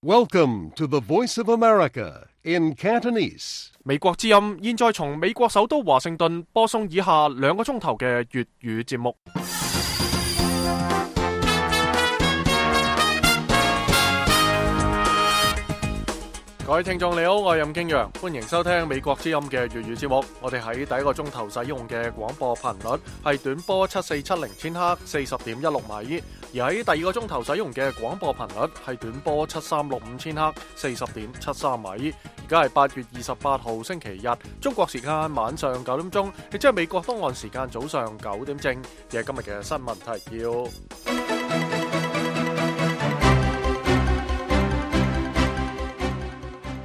Welcome to the Voice of America in Cantonese. 美國之音現在從美國首都華盛頓播送以下2個鐘頭嘅粵語節目。各位聽眾你好，我係任敬陽，歡迎收聽美國之音嘅粵語節目。我哋喺第一個鐘頭使用嘅廣播頻率係短波7470千赫 40.16 米，而喺第二個鐘頭使用嘅廣播頻率係短波7365千赫 40.73 米。而家係8月28號星期日，中國時間晚上9點鐘，亦即係美國東岸時間早上9點正。亦係今日嘅新聞提要。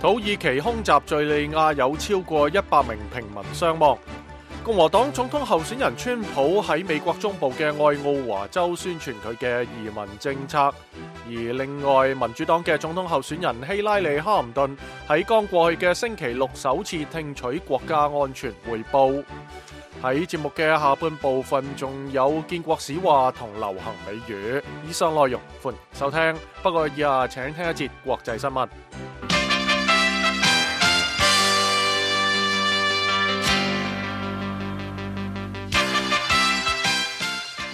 土耳其空襲敘利亞，有超過100名平民傷亡。共和黨總統候選人川普喺美國中部嘅愛奧華州宣傳佢嘅移民政策，而另外民主黨嘅總統候選人希拉里哈林頓喺剛過去嘅星期六首次聽取國家安全匯報。喺節目嘅下半部分仲有建國史話同流行美語，以上內容歡迎收聽。不過以下請聽一節國際新聞。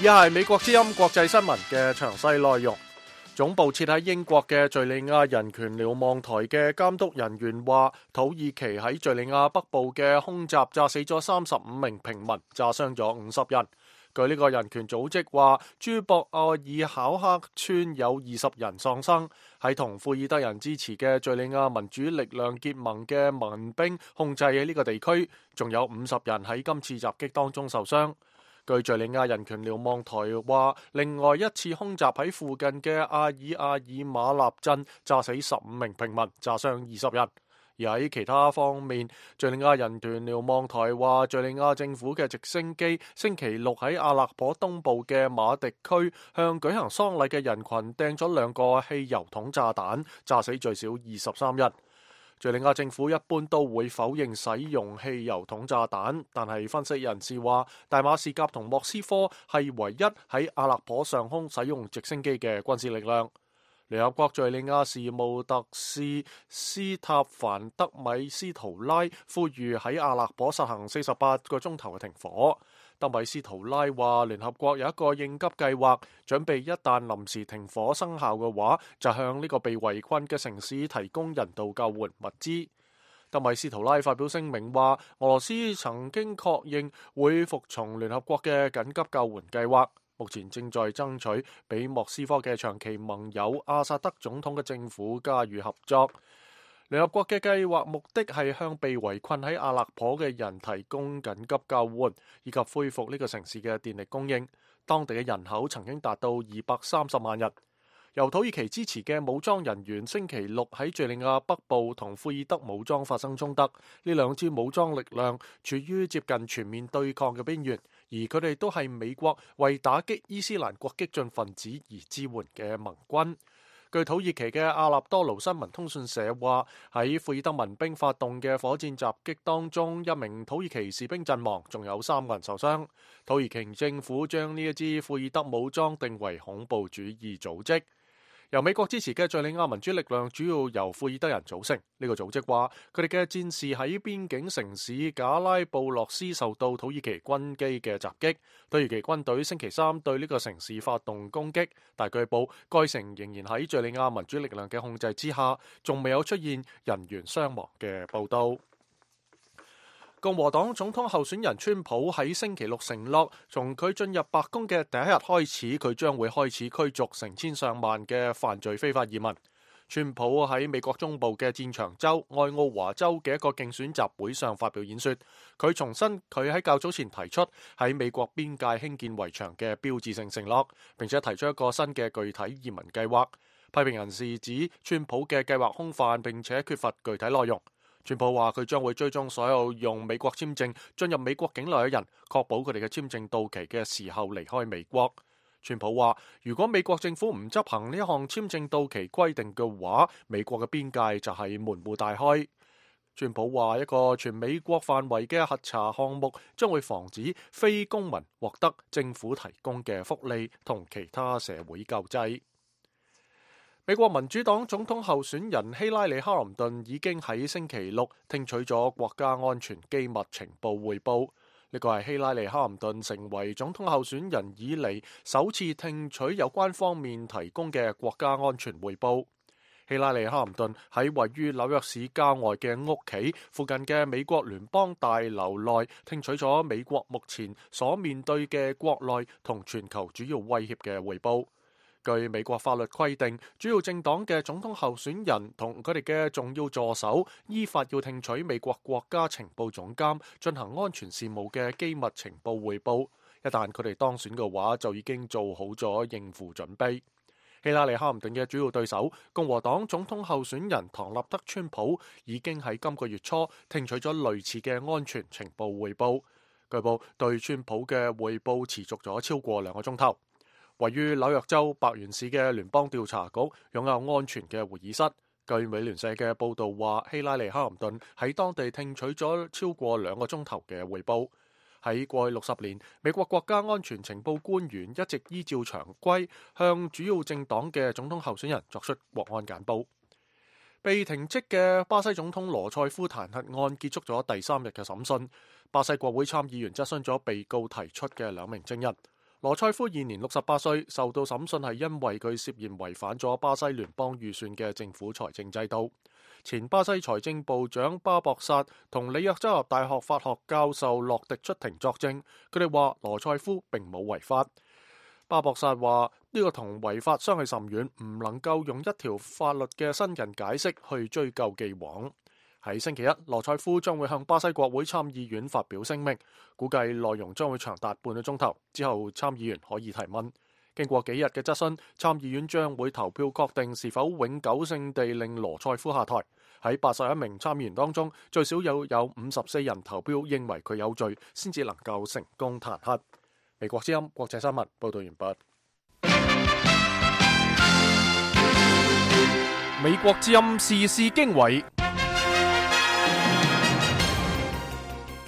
以下係美國之音國際新聞嘅詳細內容。總部設喺英國嘅敘利亞人權瞭望台嘅監督人員話，土耳其喺敘利亞北部嘅空襲炸死咗35名平民，炸傷咗50人。據呢個人權組織話，朱博愛爾考克村有20人喪生。喺同庫爾德人支持嘅敘利亞民主力量結盟嘅民兵控制喺呢個地區，仲有50人喺今次襲擊當中受傷。據敘利亞人權瞭望台話，另外一次空襲喺附近嘅阿爾馬納鎮炸死15名平民，炸傷20人。而喺其他方面，敘利亞人權瞭望台話，敘利亞政府嘅直升機星期六喺阿勒頗東部嘅馬迪區向舉行喪禮嘅人群掟咗2個汽油桶炸彈，炸死最少23人。敘利亞政府一般都會否認使用汽油桶炸彈，但係分析人士話，大馬士革同莫斯科係唯一喺阿勒頗上空使用直升機嘅軍事力量。聯合國敘利亞事務特使斯塔凡德米斯圖拉呼籲喺阿勒頗實行48個鐘頭嘅停火。德米斯圖拉話，聯合國有一個應急計劃，準備一旦臨時停火生效嘅話，就向呢個被圍困嘅城市提供人道救援物資。德米斯圖拉發表聲明話，俄羅斯曾經確認會服從聯合國嘅緊急救援計劃，目前正在爭取俾莫斯科嘅長期盟友阿薩德總統嘅政府加予合作。聯合國嘅計劃目的係向被圍困喺阿勒頗嘅人提供緊急救援，以及恢復呢個城市嘅電力供應。當地嘅人口曾經達到230萬人。由土耳其支持嘅武裝人員星期六喺敘利亞北部同庫爾德武裝發生衝突，呢2支武裝力量處於接近全面對抗嘅邊緣，而佢哋都係美國為打擊伊斯蘭國激進分子而支援嘅盟軍。據土耳其嘅阿納多盧新聞通訊社話，喺庫爾德民兵發動嘅火箭襲擊當中，1名土耳其士兵陣亡，仲有3個人受傷。土耳其政府將呢一支庫爾德武裝定為恐怖主義組織。由美國支持嘅敘利亞民主力量主要由庫爾德人組成。呢個組織話，佢哋嘅戰士喺邊境城市賈拉布洛斯受到土耳其軍機嘅襲擊。土耳其軍隊星期3對呢個城市發動攻擊，但據報該城仍然喺敘利亞民主力量嘅控制之下，仲未有出現人員傷亡嘅報道。共和黨總統候選人川普喺星期六承諾，從佢進入白宮嘅第一日開始，佢將會開始驅逐成千上萬嘅犯罪非法移民。川普喺美國中部嘅戰場州愛奧華州嘅一個競選集會上發表演說，佢重申佢喺較早前提出喺美國邊界興建圍牆嘅標誌性承諾，並且提出一個新嘅具體移民計劃。批評人士指川普嘅計劃空泛，並且缺乏具體內容。川普話佢將會追蹤所有用美國簽證進入美國境內嘅人，確保佢哋嘅簽證到期嘅時候離開美國。川普話，如果美國政府唔執行呢一項簽證到期規定嘅話，美國嘅邊界就係門戶大開。川普話，一個全美國範圍嘅核查項目將會防止非公民獲得政府提供嘅福利同其他社會救濟。美國民主黨總統候選人希拉里·哈林頓已經喺星期六聽取咗國家安全機密情報匯報，呢個係希拉里·哈林頓成為總統候選人以嚟首次聽取有關方面提供嘅國家安全匯報。希拉里·哈林頓喺位於紐約市郊外嘅屋企附近嘅美國聯邦大樓內聽取咗美國目前所面對嘅國內同全球主要威脅嘅匯報。據美國法律規定，主要政黨嘅總統候選人同佢哋嘅重要助手依法要聽取美國國家情報總監進行安全事務嘅機密情報匯報。一旦佢哋當選嘅話，就已經做好咗應付準備。希拉里·哈林頓嘅主要對手共和黨總統候選人唐納德·川普已經喺今個月初聽取咗類似嘅安全情報匯報。據報對川普嘅匯報持續咗超過2個鐘頭。位於紐約州白縣市嘅聯邦調查局擁有安全嘅會議室。據美聯社嘅報道話，希拉里·哈林頓喺當地聽取咗超過2個鐘頭嘅匯報。喺過去60年，美國國家安全情報官員一直依照常規向主要政黨嘅總統候選人作出國安簡報。被停職嘅巴西總統羅塞夫彈劾案結束咗第3日嘅審訊。巴西國會參議員質詢咗被告提出嘅2名證人。羅塞夫現年68歲，受到審訊係因為佢涉嫌違反咗巴西聯邦預算嘅政府財政制度。前巴西財政部長巴博薩同里約州立大學法學教授洛迪出庭作證，佢哋話羅塞夫並冇違法。巴博薩話呢個同違法相去甚遠，唔能夠用一條法律嘅新人解釋去追究既往。喺星期一，羅塞夫將會向巴西國會參議院發表聲明，估計內容將會長達半個鐘頭，之後參議員可以提問。經過幾日嘅質詢，參議院將會投票確定是否永久性地令羅塞夫下台。喺81名參議員當中，最少有54人投票認為佢有罪，先至能夠成功彈劾。美國之音國際新聞報道完畢。美國之音時事經緯。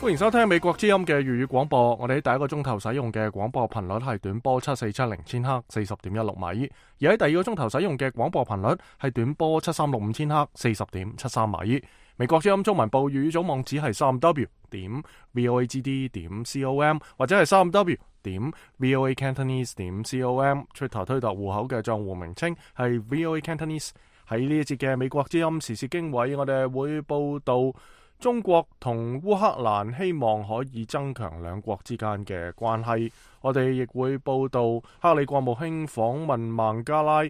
歡迎收聽美國之音嘅粵語廣播。我哋喺第1個鐘頭使用嘅廣播頻率係短波7470千赫40.16米，而喺第2個鐘頭使用嘅廣播頻率係短波7365千赫40.73米。美國之音中文部粵語組網址係 3w.voagd.com 或者係 3w.voacantonese.com。Twitter 推特戶口嘅賬戶名稱係 VOA Cantonese。喺呢一節嘅美國之音時事經緯，我哋會報道中國同烏克蘭希望可以增強兩國之間嘅關係。我哋亦會報道克里國務卿訪問孟加拉，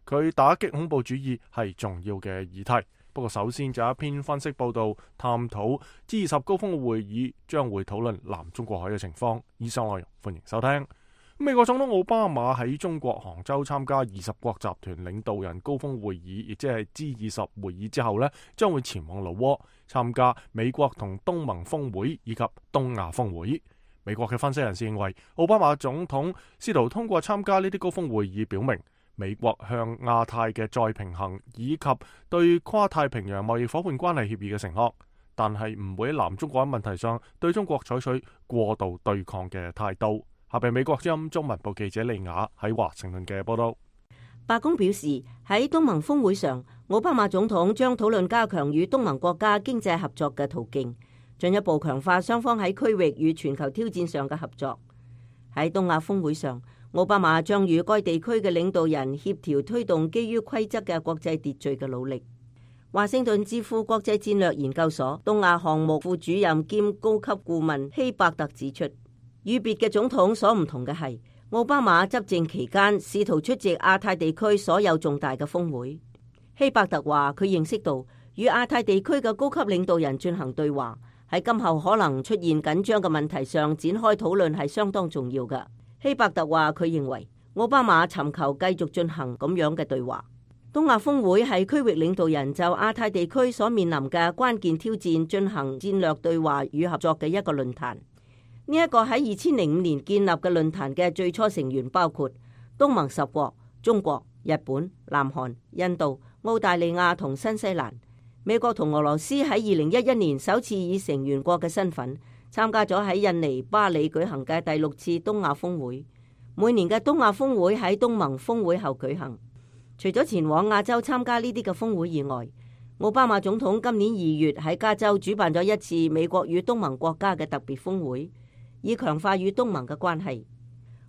佢打擊恐怖主義係重要嘅議題。不過首先就有一篇分析報道，探討 G20 高峰會議將會討論南中國海嘅情況。以上內容歡迎收聽。美國總統奧巴馬喺中國杭州參加20國集團領導人高峰會議，亦即係 G20 會議之後呢，將會前往老撾參加美國同東盟峰會以及東亞峰會。美國嘅分析人士認為，奧巴馬總統試圖通過參加呢啲高峰會議，表明美國向亞太嘅再平衡以及對跨太平洋貿易夥伴關係協議嘅承諾，但係唔會喺南中國問題上對中國採取過度對抗嘅態度。下邊美國之音中文部記者利雅喺華盛頓嘅報道。白宮表示，喺東盟峰會上，奧巴馬總統將討論加強與東盟國家經濟合作嘅途徑，進一步強化雙方喺區域與全球挑戰上嘅合作。喺東亞峰會上，奧巴馬將與該地區嘅領導人協調推動基於規則嘅國際秩序嘅努力。華盛頓智庫國際戰略研究所東亞項目副主任兼高級顧問希伯特指出，與別嘅總統所唔同嘅係，奧巴馬執政期間試圖出席亞太地區所有重大嘅峰會。希伯特話，佢認識到與亞太地區嘅高級領導人進行對話，喺今後可能出現緊張嘅問題上展開討論係相當重要嘅。希伯特話，佢認為奧巴馬尋求繼續進行咁樣嘅對話。東亞峰會係區域領導人就亞太地區所面臨嘅關鍵挑戰進行戰略對話與合作嘅一個論壇。呢一個喺2005年建立嘅論壇嘅最初成員包括東盟10國、中國、日本、南韓、印度、澳大利亞同新西蘭。美國同俄羅斯喺2011年首次以成員國嘅身份參加咗喺印尼巴里舉行嘅第6次東亞峰會。每年嘅東亞峰會喺東盟峰會後舉行。除咗前往亞洲參加呢啲嘅峰會以外，奧巴馬總統今年2月喺加州主辦咗一次美國與東盟國家嘅特別峰會，以強化與東盟嘅關係。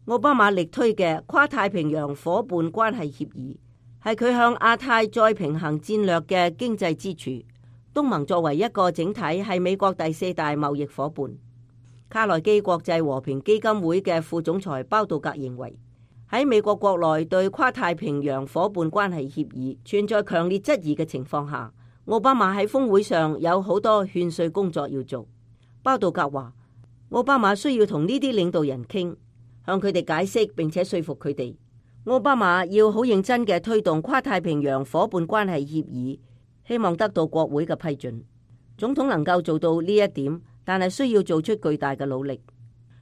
奧巴馬力推嘅跨太平洋夥伴關係協議係佢向亞太再平衡戰略嘅經濟支柱。東盟作為一個整體係美國第4大貿易夥伴。卡內基國際和平基金會嘅副總裁包道格認為，喺美國國內對跨太平洋夥伴關係協議存在強烈質疑嘅情況下，奧巴馬喺峰會上有好多勸說工作要做。包道格話，奧巴馬需要同呢啲領導人傾，向佢哋解釋並且說服佢哋。奧巴馬要好認真嘅推動跨太平洋夥伴關係協議，希望得到國會嘅批准。總統能夠做到呢一點，但係需要做出巨大嘅努力。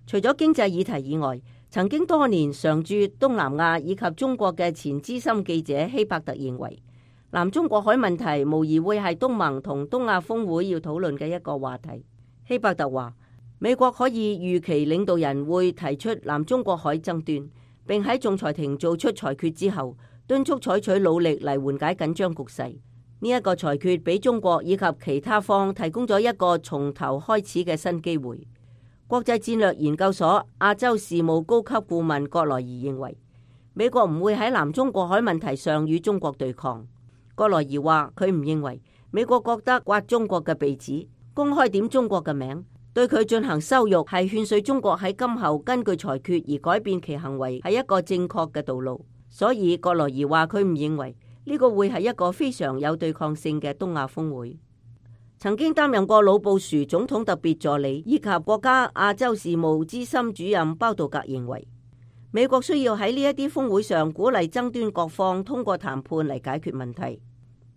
除咗經濟議題以外，曾經多年常駐東南亞以及中國嘅前資深記者希伯特認為，南中國海問題無疑會係東盟同東亞峰會要討論嘅一個話題。希伯特話，美國可以預期領導人會提出南中國海爭端，並喺仲裁庭做出裁決之後，敦促採取努力嚟緩解緊張局勢。呢一個裁決俾中國以及其他方提供咗一個從頭開始嘅新機會。國際戰略研究所亞洲事務高級顧問葛萊儀認為，美國唔會喺南中國海問題上與中國對抗。葛萊儀話，佢唔認為美國覺得刮中國嘅鼻子，公開點中國嘅名，對佢進行羞辱，係勸說中國喺今後根據裁決而改變其行為，係一個正確嘅道路。所以葛萊儀話，佢唔認為呢個會係一個非常有對抗性嘅東亞峰會。曾經擔任過老布殊總統特別助理以及國家亞洲事務資深主任包道格認為，美國需要喺呢一啲峰會上鼓勵爭端各方通過談判嚟解決問題。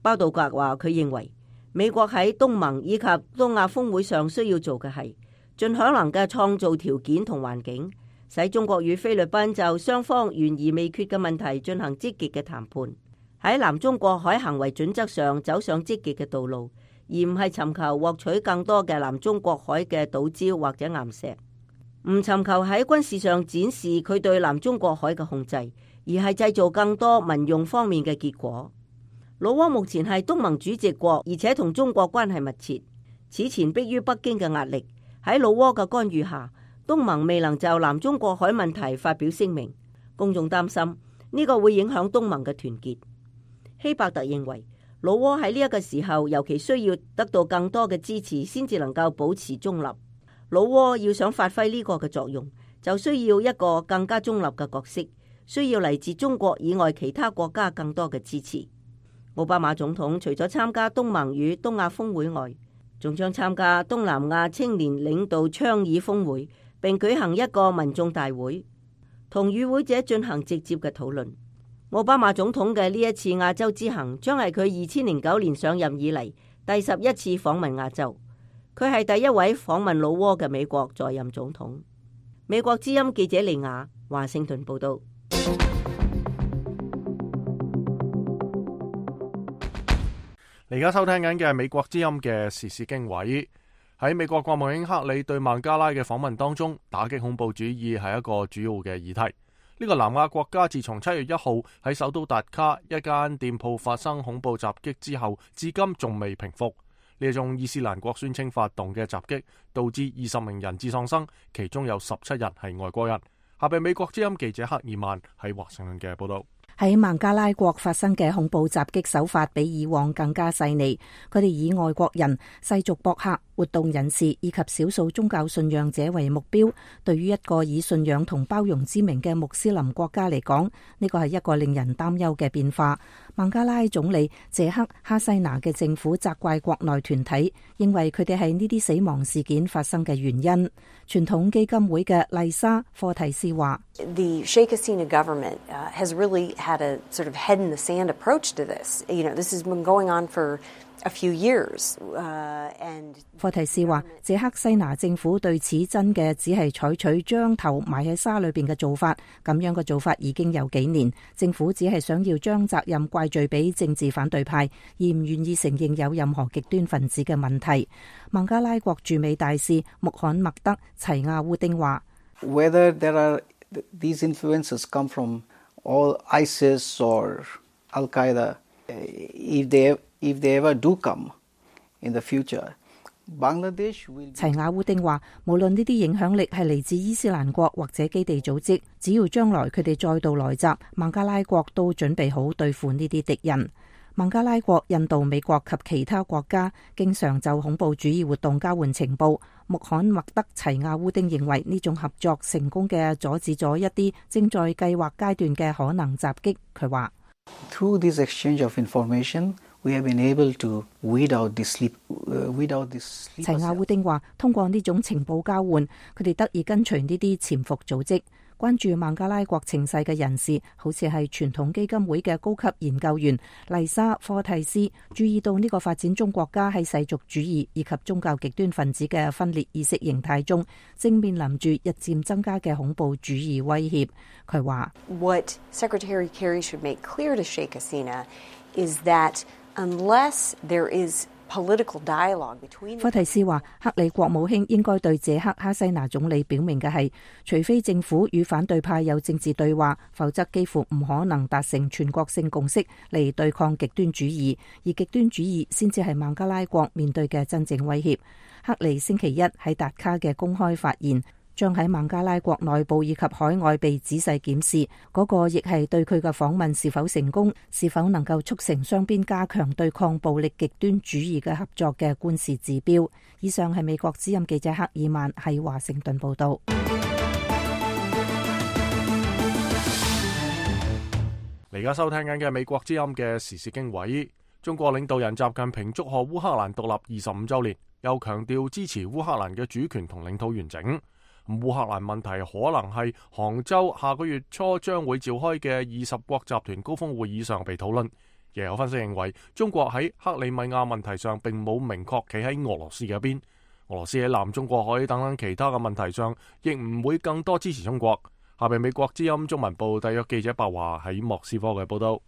包道格話，佢認為美國喺東盟以及東亞峰會上需要做嘅係盡可能嘅創造條件同環境，使中國與菲律賓就雙方懸而未決嘅問題進行積極嘅談判，喺南中國海行為準則上走上積極嘅道路，而唔係尋求獲取更多嘅南中國海嘅島礁或者岩石，唔尋求喺軍事上展示佢對南中國海嘅控制，而係製造更多民用方面嘅結果。老撾目前係東盟主席國，而且同中國關係密切。此前迫於北京嘅壓力，喺老撾嘅干預下，東盟未能就南中國海問題發表聲明。公眾擔心呢個會影響東盟嘅團結。希伯特認為，老撾喺呢一個時候尤其需要得到更多嘅支持，先至能夠保持中立。老撾要想發揮呢個嘅作用，就需要一個更加中立嘅角色，需要嚟自中國以外其他國家更多嘅支持。奧巴馬總統除咗參加東盟與東亞峰會外，仲將參加東南亞青年領導倡議峰會，並舉行一個民眾大會，同與會者進行直接嘅討論。奧巴馬總統嘅呢一次亞洲之行，將係佢2009年上任以嚟第11次訪問亞洲。佢係第一位訪問老撾嘅美國在任總統。美國之音記者利亞華盛頓報道。你而家收聽緊嘅係美國之音嘅時事經緯。喺美國國務卿克里對孟加拉嘅訪問當中，打擊恐怖主義係一個主要嘅議題。呢個南亞國家自從7月1號喺首都達卡一間店鋪發生恐怖襲擊之後，至今仲未平復。呢一種伊斯蘭國宣稱發動嘅襲擊，導致20名人質喪生，其中有17人係外國人。下邊美國之音記者克爾曼喺華盛頓嘅報道。喺孟加拉國發生嘅恐怖襲擊手法比以往更加細膩，佢哋以外國人、世俗博客、活動人士以及少數宗教信仰者為目標。對於一個以信仰同包容之名嘅穆斯林國家嚟講，呢個係一個令人擔憂嘅變化。孟加拉總理謝克哈西拿嘅政府責怪國內團體，認為佢哋係呢啲死亡事件發生嘅原因。傳統基金會嘅麗莎科提斯話：The Sheikh Hasina government has really had a sort of head in the sand approach to this. You know, this has been going on for a few years. And 科提斯話，謝克西拿政府對此真嘅只係採取將頭埋喺沙裏邊嘅做法，咁樣嘅做法已經有幾年。政府只係想要將責任怪罪俾政治反對派，而唔願意承認有任何極端分子嘅問題。孟加拉國駐美大使穆罕默德齊亞烏丁話：Whether there are these influences come from all ISIS or Al-Qaeda, if they ever do come in the future, Bangladesh will。齊亞烏丁話，無論呢啲影響力係嚟自伊斯蘭國或者基地組織，只要將來佢哋再度來襲，孟加拉國都準備好對付呢啲敵人。孟加拉國、印度、美國及其他國家經常就恐怖主義活動交換情報。穆罕默德齊亞烏丁認為呢種合作成功嘅阻止咗一啲正在計劃階段嘅可能襲擊。佢話：Through this exchange of information, we have been able to weed out this sleep. 齊亞烏丁話：通過呢種情報交換，佢哋得以跟隨呢啲潛伏組織。關注孟加拉國情勢嘅人士，好似係傳統基金會嘅高級研究員麗莎科蒂斯，注意到呢個發展中國家喺世俗主義以及宗教極端分子嘅分裂意識形態中，正面臨住日漸增加嘅恐怖主義威脅。佢話：What Secretary Kerry should make clear to Sheikh Hasina is that unless there is科蒂斯話：克里國務卿應該對謝克哈西拿總理表明嘅係，除非政府與反對派有政治對話，否則幾乎唔可能達成全國性共識嚟對抗極端主義，而極端主義先至係孟加拉國面對嘅真正威脅。克里星期一喺達卡嘅公開發言，將喺孟加拉國內部以及海外被仔細檢視，嗰個亦係對佢嘅訪問是否成功，是否能夠促成雙邊加強對抗暴力極端主義嘅合作嘅觀示指標。以上係美國之音記者克爾曼喺華盛頓報道。你而家收聽緊嘅美國之音嘅時事經緯，中國領導人習近平祝賀烏克蘭獨立25週年，又強調支持烏克蘭嘅主權同領土完整。烏克蘭問題可能係杭州下個月初將會召開嘅20國集團高峰會議上被討論。亦有分析認為，中國喺克里米亞問題上並冇明確企喺俄羅斯嘅一邊，俄羅斯喺南中國海等等其他嘅問題上，亦唔會更多支持中國。下邊美國之音中文部特約記者白華喺莫斯科嘅報道。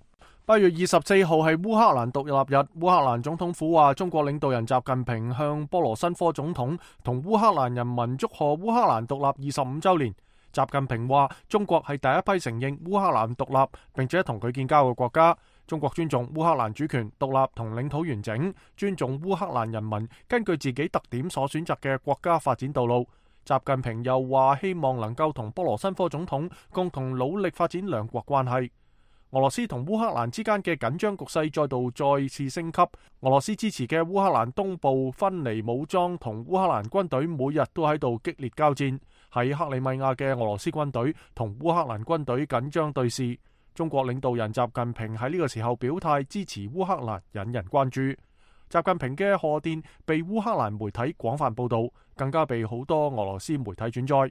8月24號係烏克蘭獨立日，烏克蘭總統府話，中國領導人習近平向波羅申科總統同烏克蘭人民祝賀烏克蘭獨立25週年。習近平話，中國係第一批承認烏克蘭獨立並且同佢建交嘅國家。中國尊重烏克蘭主權、獨立同領土完整，尊重烏克蘭人民根據自己特點所選擇嘅國家發展道路。習近平又話，希望能夠同波羅申科總統共同努力發展兩國關係。俄羅斯同烏克蘭之間嘅緊張局勢再次升級。俄羅斯支持嘅烏克蘭東部分離武裝同烏克蘭軍隊每日都喺度激烈交戰。喺克里米亞嘅俄羅斯軍隊同烏克蘭軍隊緊張對峙。中國領導人習近平喺呢個時候表態支持烏克蘭，引人關注。習近平嘅賀電被烏克蘭媒體廣泛報道，更加被好多俄羅斯媒體轉載。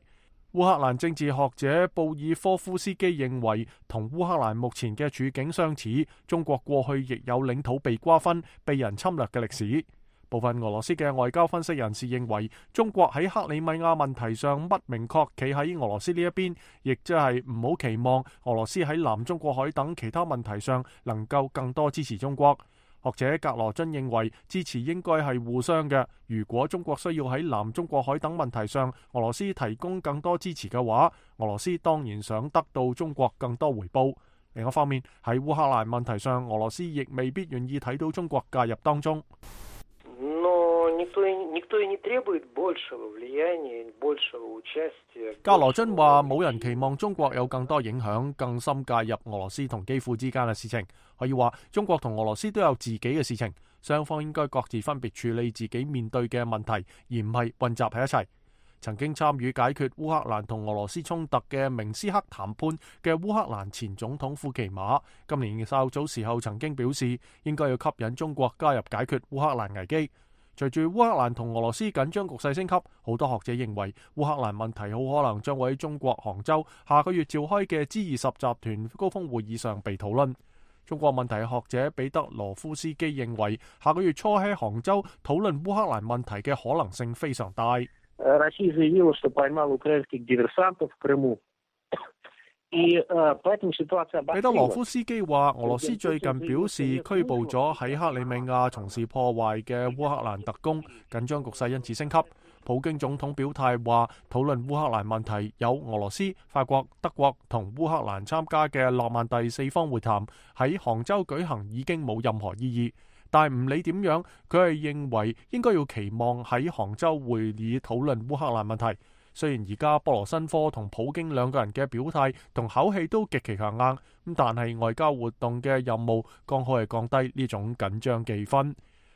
烏克蘭政治學者布爾科夫斯基認為，同烏克蘭目前嘅處境相似，中國過去亦有領土被瓜分、被人侵略嘅歷史。部分俄羅斯嘅外交分析人士認為，中國喺克里米亞問題上不明確企喺俄羅斯呢一邊，亦即係唔好期望俄羅斯喺南中國海等其他問題上能夠更多支持中國。學者格羅津認為，支持應該係互相嘅。如果中國需要喺南中國海等問題上俄羅斯提供更多支持嘅話，俄羅斯當然想得到中國更多回報。另一方面，喺烏克蘭問題上，俄羅斯亦未必願意睇到中國介入當中。格羅津話，冇人期望中國有更多影響、更深介入俄羅斯同基輔之間嘅事情。可以話，中國同俄羅斯都有自己嘅事情，雙方應該各自分別處理自己面對嘅問題，而唔係混雜喺一齊。曾經參與解決烏克蘭同俄羅斯衝突嘅明斯克談判嘅烏克蘭前總統庫奇馬，今年稍早時候曾經表示，應該要吸引中國加入解決烏克蘭危機。隨住烏克蘭同俄羅斯緊張局勢升級，好多學者認為烏克蘭問題好可能將會喺中國杭州下個月召開嘅 G20 集團高峰會議上被討論。中國問題學者彼得羅夫斯基認為，下個月初喺杭州討論烏克蘭問題嘅可能性非常大。彼得羅夫斯基話，俄羅斯最近表示拘捕咗喺克里米亞從事破壞嘅烏克蘭特工，緊張局勢因此升級。普京總統表態話，討論烏克蘭問題有俄羅斯、法國、德國同烏克蘭參加嘅諾曼第4方會談喺杭州舉行已經冇任何意義。但係唔理點樣，佢係認為應該要期望喺杭州會議討論烏克蘭問題。雖然而家波羅申科同普京兩個人嘅表態同口氣都極其強硬，但係外交活動嘅任務剛好係降低呢種緊張氣氛。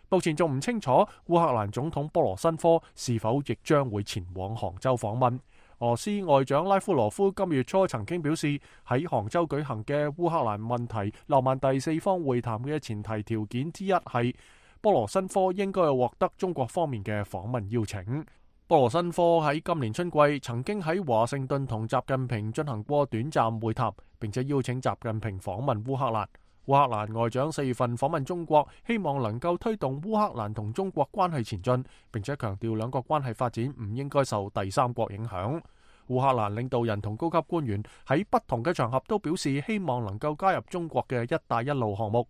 目前仲唔清楚烏克蘭總統波羅申科是否亦將會前往杭州訪問。俄羅斯外長拉夫羅夫今月初曾經表示，喺杭州舉行嘅烏克蘭問題諾曼第4方會談嘅前提條件之一係波羅申科應該獲得中國方面嘅訪問邀請。波羅申科喺今年春季曾經喺華盛頓同習近平進行過短暫會談，並且邀請習近平訪問烏克蘭。烏克蘭外長4月份訪問中國，希望能夠推動烏克蘭同中國關係前進，並且強調兩國關係發展唔應該受第三國影響。烏克蘭領導人同高級官員喺不同嘅場合都表示希望能夠加入中國嘅一帶一路項目。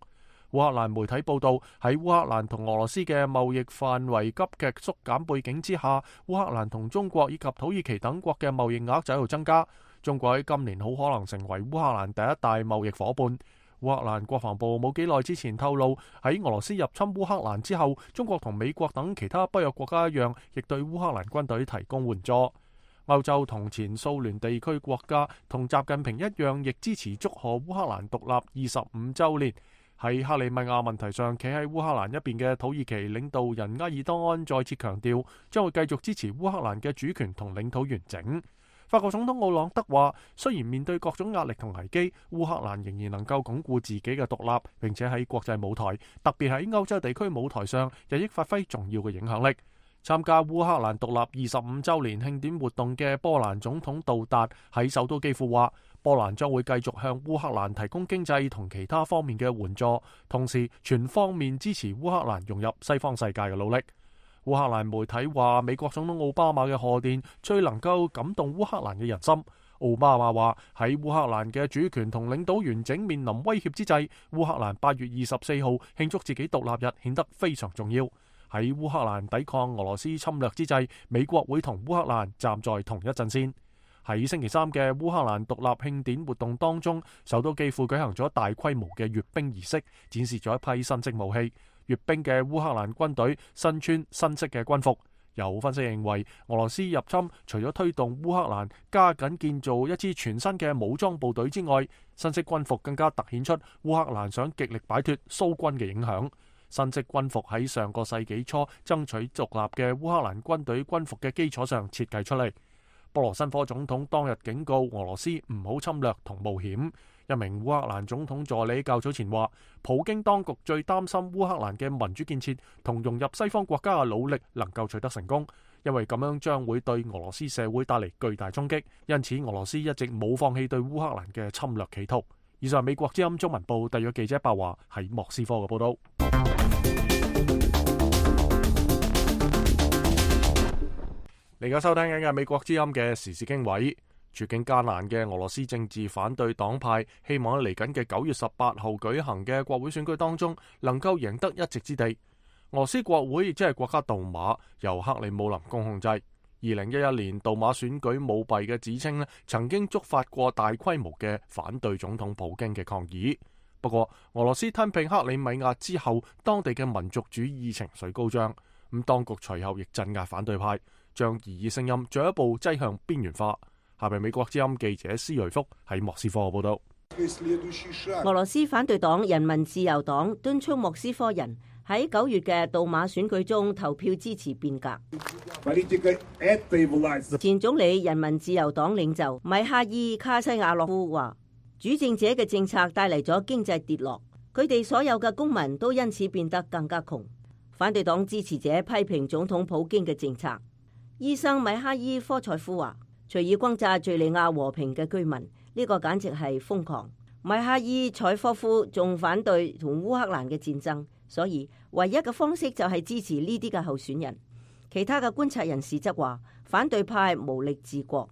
烏克蘭媒體報道，喺烏克蘭同俄羅斯嘅貿易範圍急劇縮減背景之下，烏克蘭同中國以及土耳其等國嘅貿易額就喺度增加。中國喺今年好可能成為烏克蘭第一大貿易夥伴。烏克蘭國防部冇幾耐之前透露，喺俄羅斯入侵烏克蘭之後，中國同美國等其他北約國家一樣，亦對烏克蘭軍隊提供援助。歐洲同前蘇聯地區國家同習近平一樣，亦支持祝賀烏克蘭獨立25週年。喺克里米亞問題上，企喺烏克蘭一邊嘅土耳其領導人埃爾多安再次強調，將會繼續支持烏克蘭嘅主權同領土完整。法國總統奧朗德話，雖然面對各種壓力同危機，烏克蘭仍然能夠鞏固自己嘅獨立，並且喺國際舞台，特別喺歐洲地區舞台上，日益發揮重要嘅影響力。參加烏克蘭獨立25週年慶典活動嘅波蘭總統杜達喺首都基輔話，波蘭將會繼續向烏克蘭提供經濟同其他方面嘅援助，同時全方面支持烏克蘭融入西方世界嘅努力。烏克蘭媒體話，美國總統奧巴馬嘅賀電最能夠感動烏克蘭嘅人心。奧巴馬話，喺烏克蘭嘅主權同領土完整面臨威脅之際，烏克蘭8月24號慶祝自己獨立日顯得非常重要。喺烏克蘭抵抗俄羅斯侵略之際，美國會同烏克蘭站在同一陣線。喺星期三嘅烏克蘭獨立慶典活動當中，首都基輔舉行咗大規模嘅閱兵儀式，展示咗一批新式武器。閱兵嘅烏克蘭軍隊身穿新式嘅軍服。有分析認為，俄羅斯入侵除咗推動烏克蘭加緊建造一支全新嘅武裝部隊之外，新式軍服更加凸顯出烏克蘭想極力擺脫蘇軍嘅影響。新式軍服喺上個世紀初爭取獨立嘅烏克蘭軍隊軍服嘅基礎上設計出嚟。波羅申科總統當日警告俄羅斯唔好侵略同冒險。一名烏克蘭總統助理較早前話，普京當局最擔心烏克蘭嘅民主建設同融入西方國家嘅努力能夠取得成功，因為咁樣將會對俄羅斯社會帶嚟巨大衝擊。因此，俄羅斯一直冇放棄對烏克蘭嘅侵略企圖。以上美國之音中文部特約記者白華喺莫斯科嘅報道。你而家收聽緊嘅美國之音嘅時事經緯。處境艱難嘅俄羅斯政治反對黨派希望喺嚟緊嘅9月18號舉行嘅國會選舉當中能夠贏得一席之地。俄羅斯國會亦即係國家杜馬由克里姆林宮控制。2011年杜馬選舉舞弊嘅指稱曾經觸發過大規模嘅反對總統普京嘅抗議。不過俄羅斯吞併克里米亞之後，當地嘅民族主義情緒高漲，咁當局隨後亦鎮壓反對派，將異議聲音進一步擠向邊緣化。下邊美國之音記者施瑞福喺莫斯科報道。俄羅斯反對黨人民自由黨敦促莫斯科人喺9月嘅杜馬選舉中投票支持變革。前總理人民自由黨領袖米哈伊卡西亞洛夫話，主政者嘅政策帶嚟咗經濟跌落，佢哋所有嘅公民都因此變得更加窮。反對黨支持者批評總統普京嘅政策。醫生米哈伊科塞夫話，隨意轟炸敘利亞和平嘅居民，呢個簡直係瘋狂。米哈伊采科夫仲反對同烏克蘭嘅戰爭，所以唯一嘅方式就係支持呢啲嘅候選人。其他嘅觀察人士則話，反對派無力治國。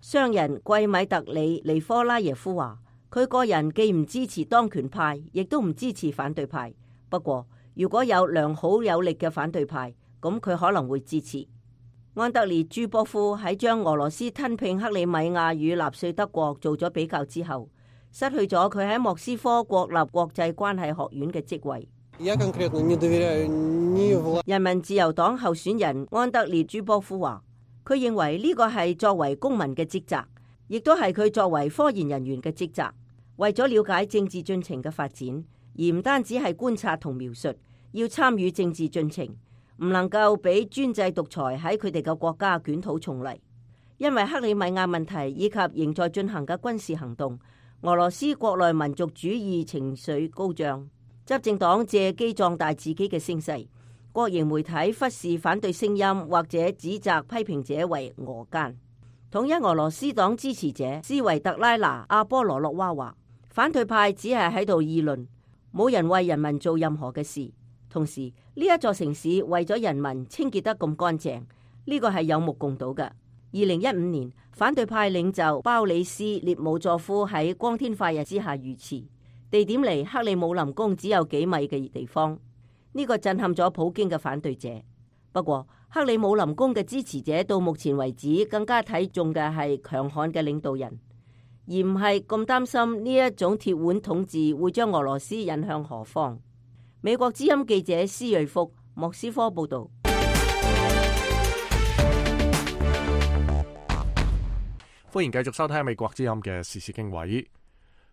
商人季米特里尼科拉耶夫話，佢個人既唔支持當權派，亦都唔支持反對派。不過如果有良好有力嘅反對派，咁佢可能會支持。安德烈朱波夫喺將俄羅斯吞併克里米亞與納粹德國做咗比較之後，失去咗佢喺莫斯科國立國際關係學院嘅職位。人民自由黨候選人安德烈朱波夫話，佢認為呢個係作為公民嘅職責，亦都係佢作為科研人員嘅職責。為咗了解政治進程嘅發展，而唔單止係觀察同描述，要參與政治進程，唔能夠俾專制獨裁喺佢哋嘅國家捲土重嚟。因為克里米亞問題以及仍在進行嘅軍事行動，俄羅斯國內民族主義情緒高漲，執政黨借機壯大自己嘅聲勢，國營媒體忽視反對聲音或者指責批評者為俄奸。統一俄羅斯黨支持者斯維特拉娜·阿波羅諾娃話，反對派只係喺度議論，冇人為人民做任何嘅事。同時，呢一座城市為咗人民清潔得咁乾淨，呢個係有目共睹嘅。2015年，反對派領袖鮑里斯列姆佐夫喺光天化日之下遇刺，地點離克里姆林宮只有幾米嘅地方。呢個震撼咗普京嘅反對者。不過，克里姆林宮嘅支持者到目前為止更加睇重嘅係強悍嘅領導人，而唔係咁擔心呢一種鐵腕統治會將俄羅斯引向何方。美國之音記者施瑞福，莫斯科報道。歡迎繼續收聽美國之音嘅時事經緯。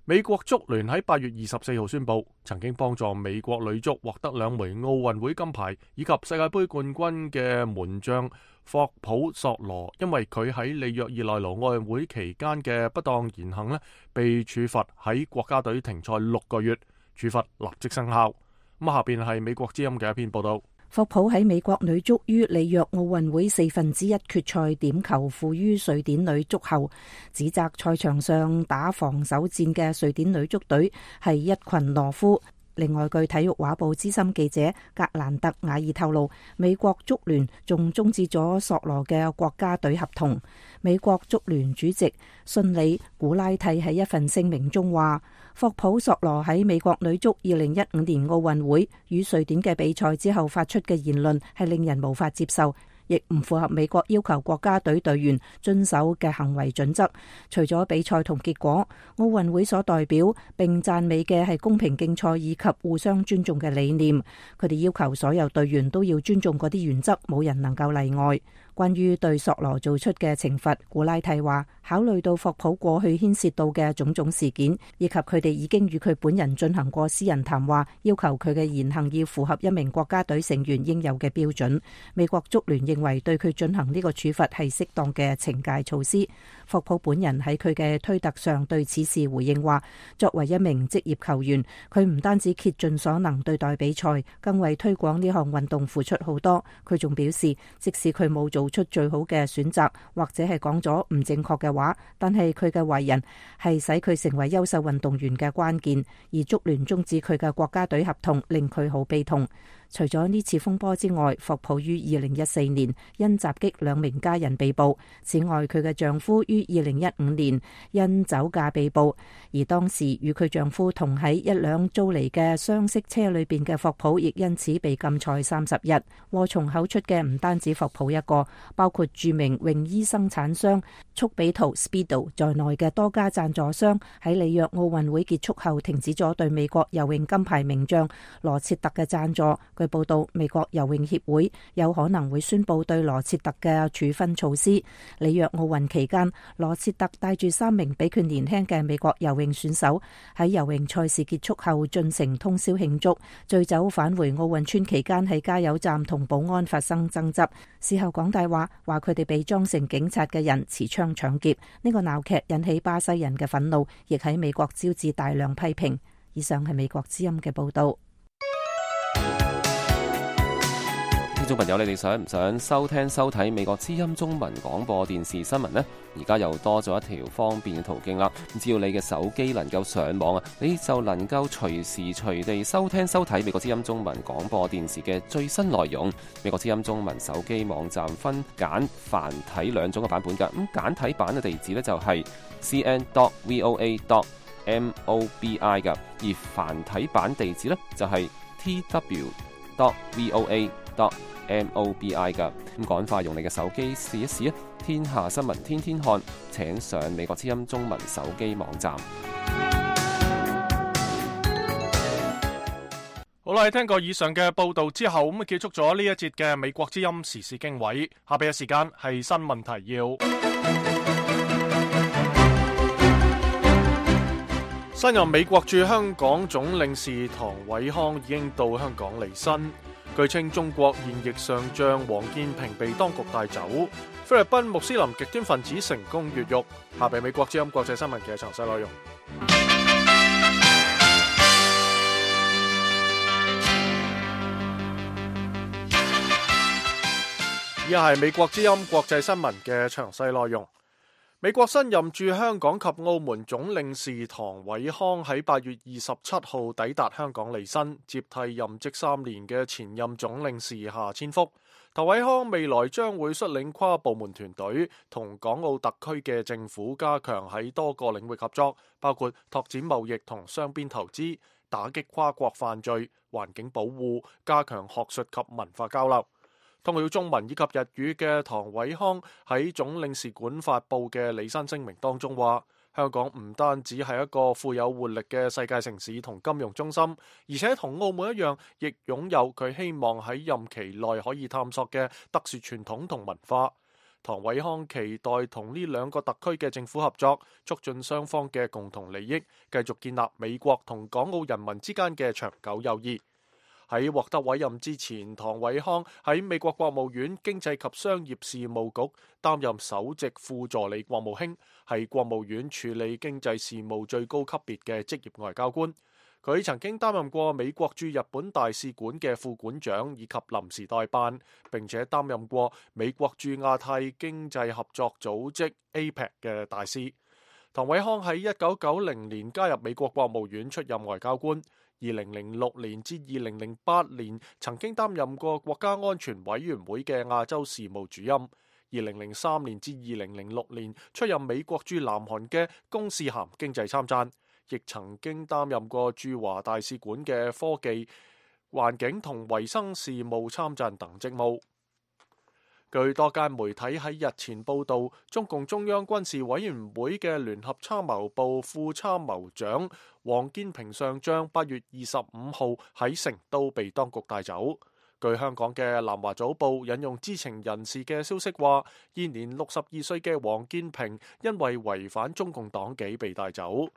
美國足聯喺8月24號宣布，曾經幫助美國女足獲得2枚奧運會金牌以及世界盃冠軍嘅門將霍普索羅，因為佢喺里約熱內盧奧運會期間嘅不當言行呢，被處罰喺國家隊停賽6個月，處罰立即生效。咁下邊係美國之音嘅一篇報道。霍普喺美國女足於里約奧運會1/4決賽點球負於瑞典女足後，指責賽場上打防守戰嘅瑞典女足隊係一群懦夫。另外，據體育畫報資深記者格蘭特瓦爾透露，美國足聯仲終止咗索羅嘅國家隊合同。美國足聯主席遜里古拉蒂喺一份聲明中話，霍普索羅喺美國女足2015年奧運會與瑞典嘅比賽之後發出嘅言論係令人無法接受，亦唔符合美國要求國家隊隊員遵守嘅行為準則。除咗比賽同結果，奧運會所代表並讚美嘅係公平競賽以及互相尊重嘅理念。佢哋要求所有隊員都要尊重嗰啲原則，冇人能夠例外。關於對索羅做出嘅懲罰，古拉蒂話，考慮到霍普過去牽涉到嘅種種事件，以及佢哋已經與佢本人進行過私人談話，要求佢嘅言行要符合一名國家隊成員應有嘅標準。美國足聯認為對佢進行呢個處罰係適當嘅懲戒措施。霍普本人喺佢嘅推特上對此事回應話，作為一名職業球員，佢唔單止竭盡所能對待比賽，更為推廣呢項運動付出好多。佢仲表示，即使佢冇做出最好嘅選擇，或者係講咗唔正確嘅話，但係佢嘅為人係使佢成為優秀運動員嘅關鍵。而足聯終止佢嘅國家隊合同，令佢好悲痛。除咗呢次風波之外，霍普於2014年因襲擊2名家人被捕。此外，佢嘅丈夫於2015年因酒駕被捕，而當時與佢丈夫同喺一輛租嚟嘅雙色車裏邊嘅霍普，亦因此被禁賽30日。禍從口出嘅唔單止霍普一個，包括著名泳衣生產商速比圖 Speedo 在內嘅多家贊助商，喺里約奧運會結束後停止咗對美國游泳金牌名將羅切特嘅贊助。據報道，美國游泳協會有可能會宣布對羅切特嘅處分措施。里約奧運期間，羅切特帶住3名比佢年輕嘅美國游泳選手喺游泳賽事結束後進城通宵慶祝，醉酒返回奧運村期間喺加油站同保安發生爭執，事後講大話，話佢哋被裝成警察嘅人持槍搶劫。呢個鬧劇引起巴西人嘅憤怒，亦喺美國招致大量批評。以上係美國之音嘅報道。聽眾朋友，你哋想唔想收聽收睇美國之音中文廣播電視新聞呢？而家又多咗一條方便嘅途徑啦！只要你嘅手機能夠上網啊，你就能夠隨時隨地收聽收睇美國之音中文廣播電視嘅最新內容。美國之音中文手機網站分簡繁體2種嘅版本㗎。咁簡體版嘅地址呢，就係 cn.voa.mobi 㗎，而繁體版地址呢，就係tw.voa.mobi MOBI 㗎。咁趕快用你嘅手機試一試啊！天下新聞天天看，請上美國之音中文手機網站。好啦，聽過以上嘅報道之後，咁啊結束咗呢一節嘅美國之音時事經緯。下邊嘅時間係新聞提要。新任美國駐香港總領事唐偉康已經到香港履新。據稱中國現役上將王建平被當局帶走。菲律賓穆斯林極端分子成功越獄。下邊美國之音國際新聞嘅詳細內容。以下係美國之音國際新聞嘅詳細內容。美國新任駐香港及澳門總領事唐偉康喺8月27號抵達香港履新，接替任職3年嘅前任總領事夏千福。唐偉康未來將會率領跨部門團隊，同港澳特區嘅政府加強喺多個領域合作，包括拓展貿易同雙邊投資、打擊跨國犯罪、環境保護、加強學術及文化交流。通曉中文以及日語嘅唐偉康喺總領事館發佈嘅履新聲明當中話，香港唔單止係一個富有活力嘅世界城市同金融中心，而且同澳門一樣，亦擁有佢希望喺任期內可以探索嘅特殊傳統同文化。唐偉康期待同呢兩個特區嘅政府合作，促進雙方嘅共同利益，繼續建立美國同港澳人民之間嘅長久友誼。喺獲得委任之前，唐偉康喺美國國務院經濟及商業事務局擔任首席副助理國務卿，係國務院處理經濟事務最高級別嘅職業外交官。佢曾經擔任過美國駐日本大使館嘅副館長以及臨時代辦，並且擔任過美國駐亞太經濟合作組織 APEC 嘅大使。唐偉康喺1990年加入美國國務院出任外交官。2006年至2008年曾經擔任過國家安全委員會嘅亞洲事務主任。2003年至2006年出任美國駐南韓嘅公使銜經濟參贊，亦曾經擔任過駐華大使館嘅科技、環境同衛生事務參贊等職務。據多間媒體喺日前報道，中共中央軍事委員會嘅聯合參謀部副參謀長王建平上將8月25號喺成都被當局帶走。據香港嘅南華早報引用知情人士嘅消息話，現年62歲嘅王建平因為違反中共黨紀被帶走。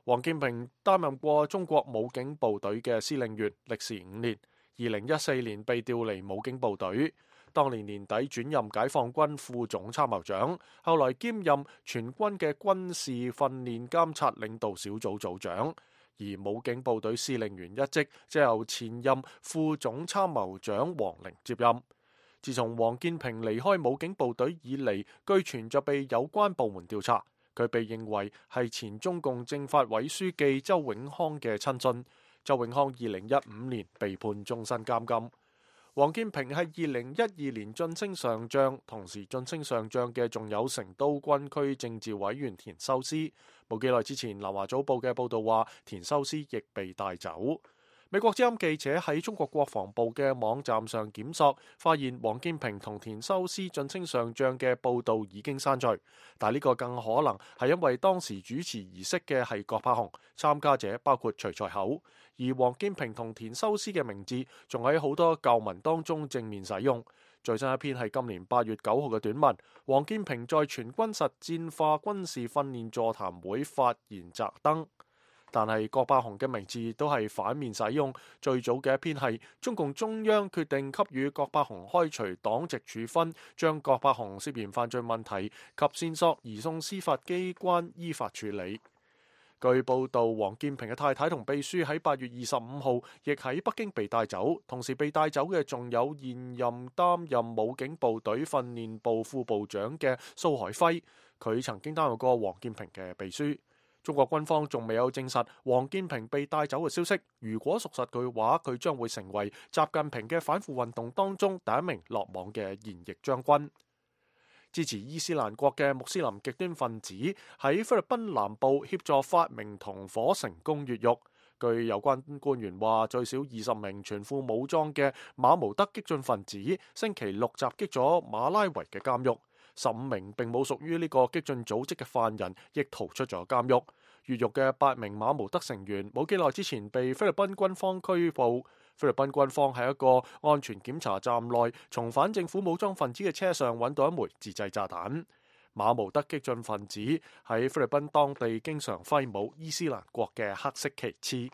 王建平擔任過中國武警部隊嘅司令員，歷時5年。2014年被調離武警部隊。當年年底轉任解放軍副總參謀長，後來兼任全軍嘅軍事訓練監察領導小組組長，而武警部隊司令員一職則由前任副總參謀長王寧接任。自從王建平離開武警部隊以嚟，據傳就被有關部門調查，佢被認為係前中共政法委書記周永康嘅親信。周永康2015年被判終身監禁。王建平係2012年晉升上將，同時晉升上將嘅仲有成都軍區政治委員田修斯。冇幾耐之前，南華早報嘅報道話，田修斯亦被帶走。美國之音記者喺中國國防部嘅網站上檢索，發現王建平同田修斯晉升上將嘅報道已經刪除，但呢個更可能係因為當時主持儀式嘅係郭柏雄，參加者包括徐才厚，而王建平同田修斯嘅名字仲喺好多舊文當中正面使用。最新一篇係今年8月9號嘅短文，王建平在全軍實戰化軍事訓練座談會發言摘燈。但係郭柏雄嘅名字都係反面使用。最早嘅一篇係中共中央決定給予郭柏雄開除黨籍處分，將郭柏雄涉嫌犯罪問題及線索移送司法機關依法處理。據報道，王建平嘅太太同秘書喺8月25號亦喺北京被帶走，同時被帶走嘅仲有現任擔任武警部隊訓練部副部長嘅蘇海輝，佢曾經擔任過王建平嘅秘書。中國軍方仲未有證實王建平被帶走嘅消息，如果屬實嘅話，佢將會成為習近平嘅反腐運動當中第一名落網嘅現役將軍。支持伊斯蘭國嘅穆斯林極端分子喺菲律賓南部協助發明同伙成功越獄。據有關官員話，最少20名全副武裝嘅馬毛德激進分子星期六襲擊咗馬拉維嘅監獄，15名並冇屬於呢個激進組織嘅犯人亦逃出咗監獄。越獄嘅8名馬毛德成員冇幾耐之前被菲律賓軍方拘捕。菲律賓軍方喺一個安全檢查站內，從反政府武裝分子嘅車上揾到一枚自製炸彈。馬毛德激進分子喺菲律賓當地經常揮舞伊斯蘭國嘅黑色旗幟。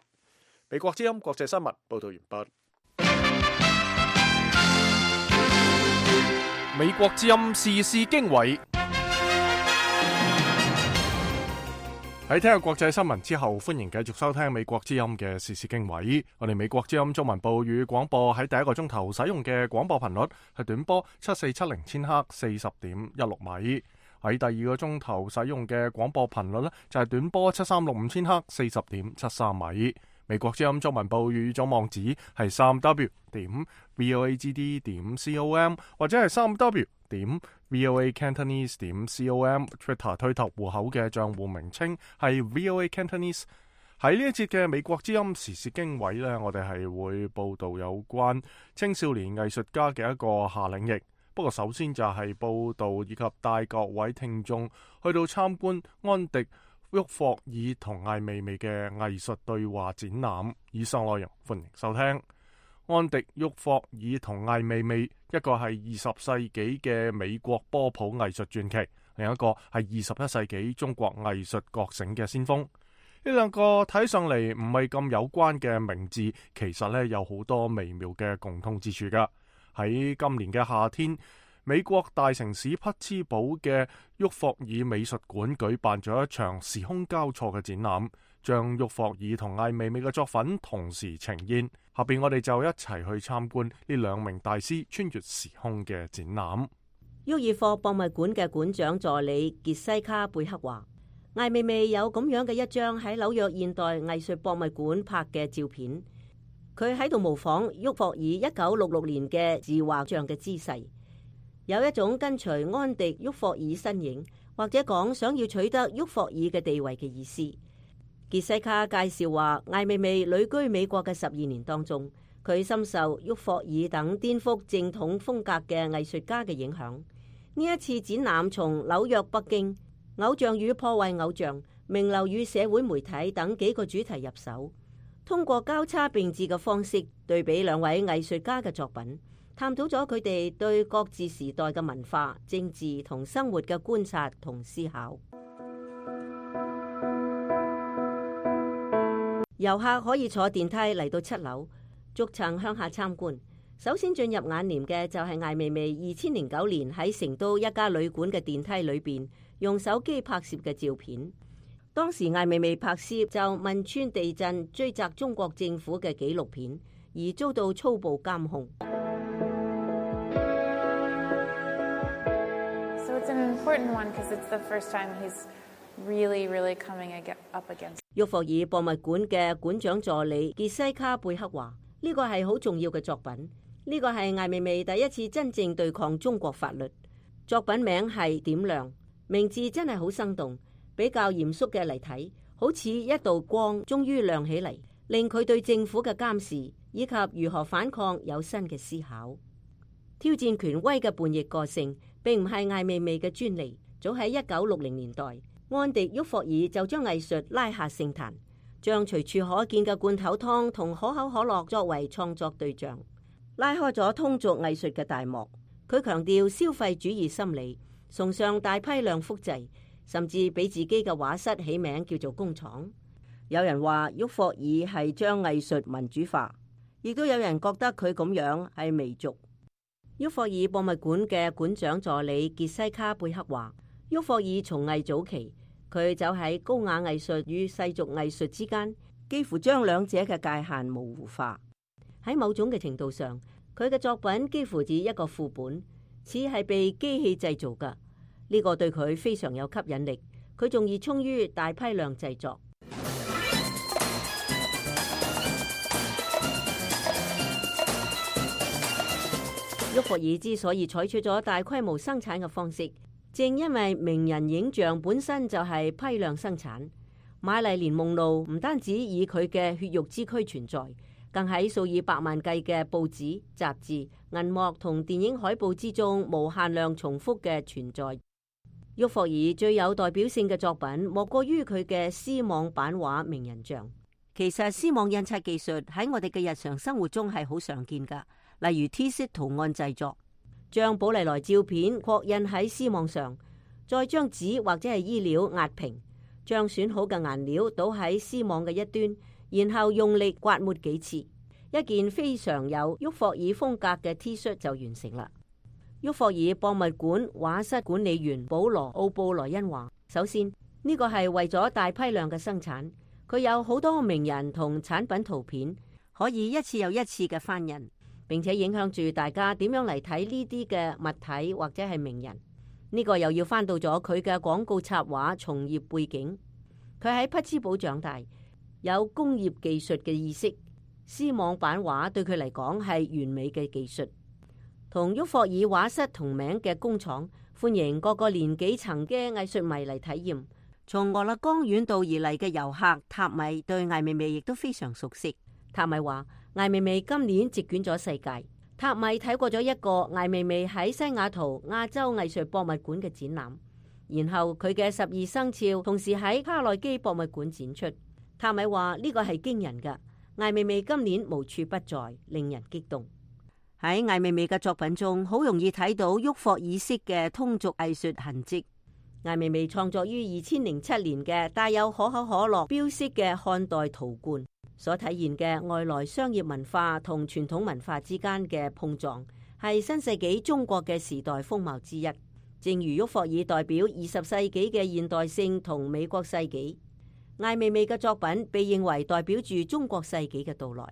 美國之音國際新聞報道完畢。美國之音時事經緯。喺聽日國際新聞之後，歡迎繼續收聽美國之音嘅時事經緯。我哋美國之音中文部與廣播喺第一個鐘頭使用嘅廣播頻率係短波7470千赫40.16米，喺第二個鐘頭使用嘅廣播頻率呢就係短波7365千赫40.73米。美國之音中文部語組網址係3w.voagd.com 或者係3w.voacantonese.com。 Twitter 推特戶口嘅賬戶名稱係 VOA Cantonese。 喺呢一節嘅美國之音時事經緯呢，我哋係會報道有關青少年藝術家嘅一個夏令營。不過首先就係報道以及帶各位聽眾去到參觀安迪沃霍爾同艾未未嘅藝術對話展覽。以上內容歡迎收聽。安迪沃霍爾同艾未未，一個係20世紀嘅美國波普藝術傳奇，另一個係21世紀中國藝術覺醒嘅先鋒。呢兩個睇上嚟唔係咁有關嘅名字，其實呢有好多微妙嘅共通之處㗎。喺今年嘅夏天，美國大城市匹茲堡嘅沃霍爾美術館舉辦咗一場時空交錯嘅展覽，將沃霍爾同艾未未嘅作品同時呈現。下邊我哋就一齊去參觀呢兩名大師穿越時空嘅展覽。沃爾霍博物館嘅館長助理傑西卡貝克話，艾未未有咁樣嘅一張喺紐約現代藝術博物館拍嘅照片，佢喺度模仿沃霍爾1966年嘅自畫像嘅姿勢，有一種跟隨安迪沃霍爾身影，或者講想要取得沃霍爾嘅地位嘅意思。傑西卡介紹話，艾未未旅居美國嘅12年當中，佢深受沃霍爾等顛覆正統風格嘅藝術家嘅影響。呢一次展覽從紐約、北京、偶像與破壞偶像、名流與社會媒體等幾個主題入手，通過交叉並置嘅方式對比兩位藝術家嘅作品，探討咗佢哋對各自時代嘅文化、政治同生活嘅觀察同思考。遊客可以坐電梯嚟到7樓，逐層向下參觀。首先進入眼簾嘅就係艾未未2009年喺成都一家旅館嘅電梯裏邊用手機拍攝嘅照片。當時艾未未拍攝就汶川地震追責中國政府嘅紀錄片，而遭到粗暴監控。So it's an important one because it's the first time he's really coming up against。沃霍爾博物館嘅館長助理傑西卡貝克話：呢個係好重要嘅作品，呢個係艾未未第一次真正對抗中國法律。作品名係點亮，名字真係好生動。比較嚴肅嘅嚟睇，好似一道光終於亮起嚟，令佢對政府嘅監視以及如何反抗有新嘅思考。挑戰權威嘅叛逆個性並唔係艾未未嘅專利。早喺1960年代，安迪沃霍爾就將藝術拉下聖壇，將隨處可見嘅罐頭湯同可口可樂作為創作對象，拉開咗通俗藝術嘅大幕。佢強調消費主義心理，崇尚大批量複製，甚至俾自己嘅畫室起名叫做工廠。有人話沃霍爾係將藝術民主化，亦都有人覺得佢咁樣係媚俗。沃霍爾博物館嘅館長助理傑西卡貝克話，沃霍爾從藝早期，佢走喺高雅藝術與世俗藝術之間，幾乎將兩者嘅界限模糊化。喺某種嘅程度上，佢嘅作品幾乎似一個副本，似係被機器製造㗎。呢個對佢非常有吸引力，佢仲熱衷於大批量製作。沃霍爾之所以採取咗大規模生產嘅方式，正因為名人影像本身就係批量生產，瑪麗蓮夢露唔單止以佢嘅血肉之軀存在，更喺數以百萬計嘅報紙、雜誌、銀幕同電影海報之中無限量重複嘅存在。沃霍爾最有代表性嘅作品莫過於佢嘅絲網版畫名人像。其實絲網印刷技術喺我哋嘅日常生活中係好常見噶，例如 T 恤圖案製作，將寶麗來照片擴印喺絲網上，再將紙或者係衣料壓平，將選好嘅顏料倒喺絲網嘅一端，然後用力刮抹幾次，一件非常有沃霍爾風格嘅 T 恤就完成啦。沃霍爾博物館畫室管理員保羅奧布萊恩話：首先呢個係為咗大批量嘅生產，佢有好多名人同產品圖片，可以一次又一次嘅翻印，並且影響住大家點樣嚟睇呢啲嘅物體或者係名人。呢個又要翻到咗佢嘅廣告插畫從業背景，佢喺匹茲堡長大，有工業技術嘅意識，絲網版畫對佢嚟講係完美嘅技術。同沃霍爾畫室同名嘅工廠歡迎各個年紀層嘅藝術迷嚟體驗。從俄勒岡遠道而嚟嘅遊客塔米對艾未未亦都非常熟悉。塔米話艾未未今年席捲咗世界。塔米睇過咗一個艾未未喺西雅圖亞洲藝術博物館嘅展覽，然後佢嘅12生肖同時喺卡內基博物館展出。塔米話呢個係驚人㗎，艾未未今年無處不在，令人激動。喺艾未未嘅作品中，好容易睇到沃霍爾式嘅通俗藝術痕跡。艾未未創作於2007年嘅帶有可口可樂標識嘅漢代陶罐，所體現嘅外來商業文化同傳統文化之間嘅碰撞，係新世紀中國嘅時代風貌之一。正如沃霍爾代表20世紀嘅現代性同美國世紀，艾未未嘅作品被認為代表住中國世紀嘅到來。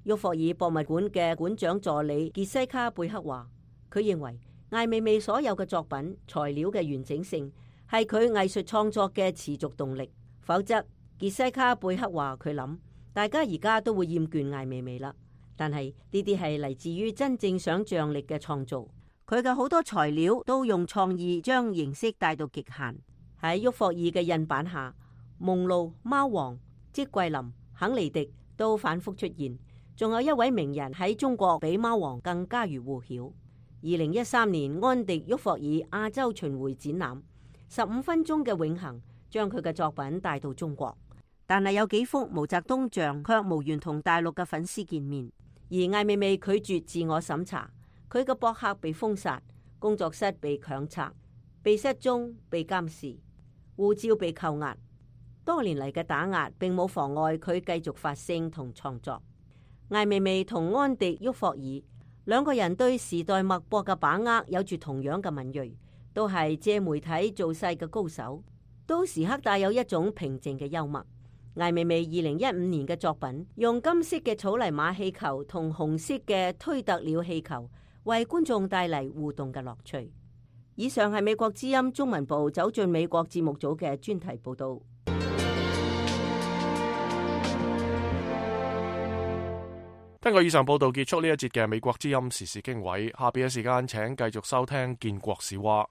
沃霍爾博物館嘅館長助理傑西卡貝克話，佢認為艾未未所有嘅作品材料嘅完整性係佢藝術創作嘅持續動力，否則傑西卡貝克話佢諗大家而家都會厭倦艾未未啦。但係呢啲係嚟自於真正想象力嘅創造，佢嘅好多材料都用創意將形式帶到極限。喺沃霍爾嘅印版下，夢露、貓王、積桂林、肯尼迪都反覆出現。仲有一位名人喺中國比貓王更家喻戶曉。2013年安迪沃霍爾亞洲巡迴展覽，15分鐘嘅永恆將佢嘅作品帶到中國，但係有幾幅毛澤東像卻無緣同大陸嘅粉絲見面。而艾未未拒絕自我審查，佢嘅博客被封殺，工作室被強拆，被失蹤、被監視，護照被扣押。多年嚟嘅打壓並冇妨礙佢繼續發聲同創作。艾未未同安迪沃霍爾兩個人對時代脈搏嘅把握有住同樣嘅敏銳，都係借媒體造勢嘅高手，都時刻帶有一種平靜嘅幽默。艾未未2015年嘅作品用金色嘅草泥馬氣球同紅色嘅推特鳥氣球為觀眾帶嚟互動嘅樂趣。以上係美國之音中文部走進美國節目組嘅專題報道。根據以上報道結束呢一節嘅美國之音時事經緯，下邊嘅時間請繼續收聽建國史話。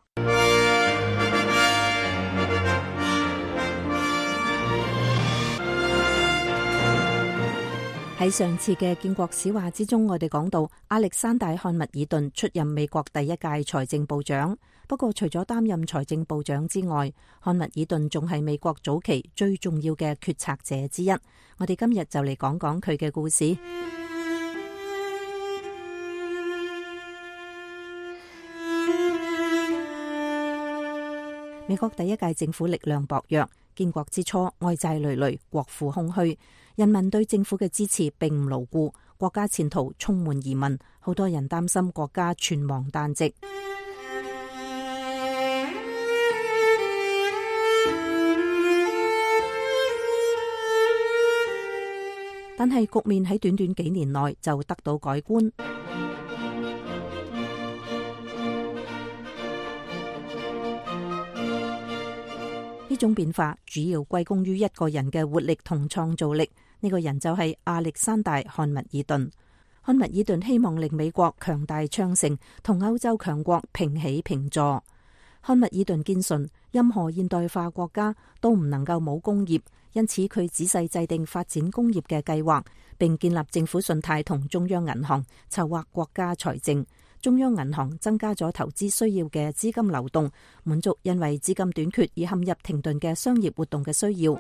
喺上次嘅建國史話之中，我哋講到亞歷山大漢密爾頓出任美國第一屆財政部長。不過除咗擔任財政部長之外，漢密爾頓仲係美國早期最重要嘅決策者之一。我哋今日就嚟講講佢嘅故事。美國第一屆政府力量薄弱，建國之初外債累累，國庫空虛，人民對政府嘅支持並唔牢固，國家前途充滿疑問，好多人擔心國家存亡旦夕。但係局面喺短短幾年內就得到改觀。呢種變化主要歸功於一個人嘅活力同創造力，呢個人就係亞歷山大漢密爾頓。漢密爾頓希望令美國強大昌盛，同歐洲強國平起平坐。漢密爾頓堅信，任何現代化國家都唔能夠冇工業，因此佢仔細制定發展工業嘅計劃，並建立政府信貸同中央銀行，籌劃國家財政。中央銀行增加咗投資需要嘅資金流動，滿足因為資金短缺而陷入停頓嘅商業活動嘅需要。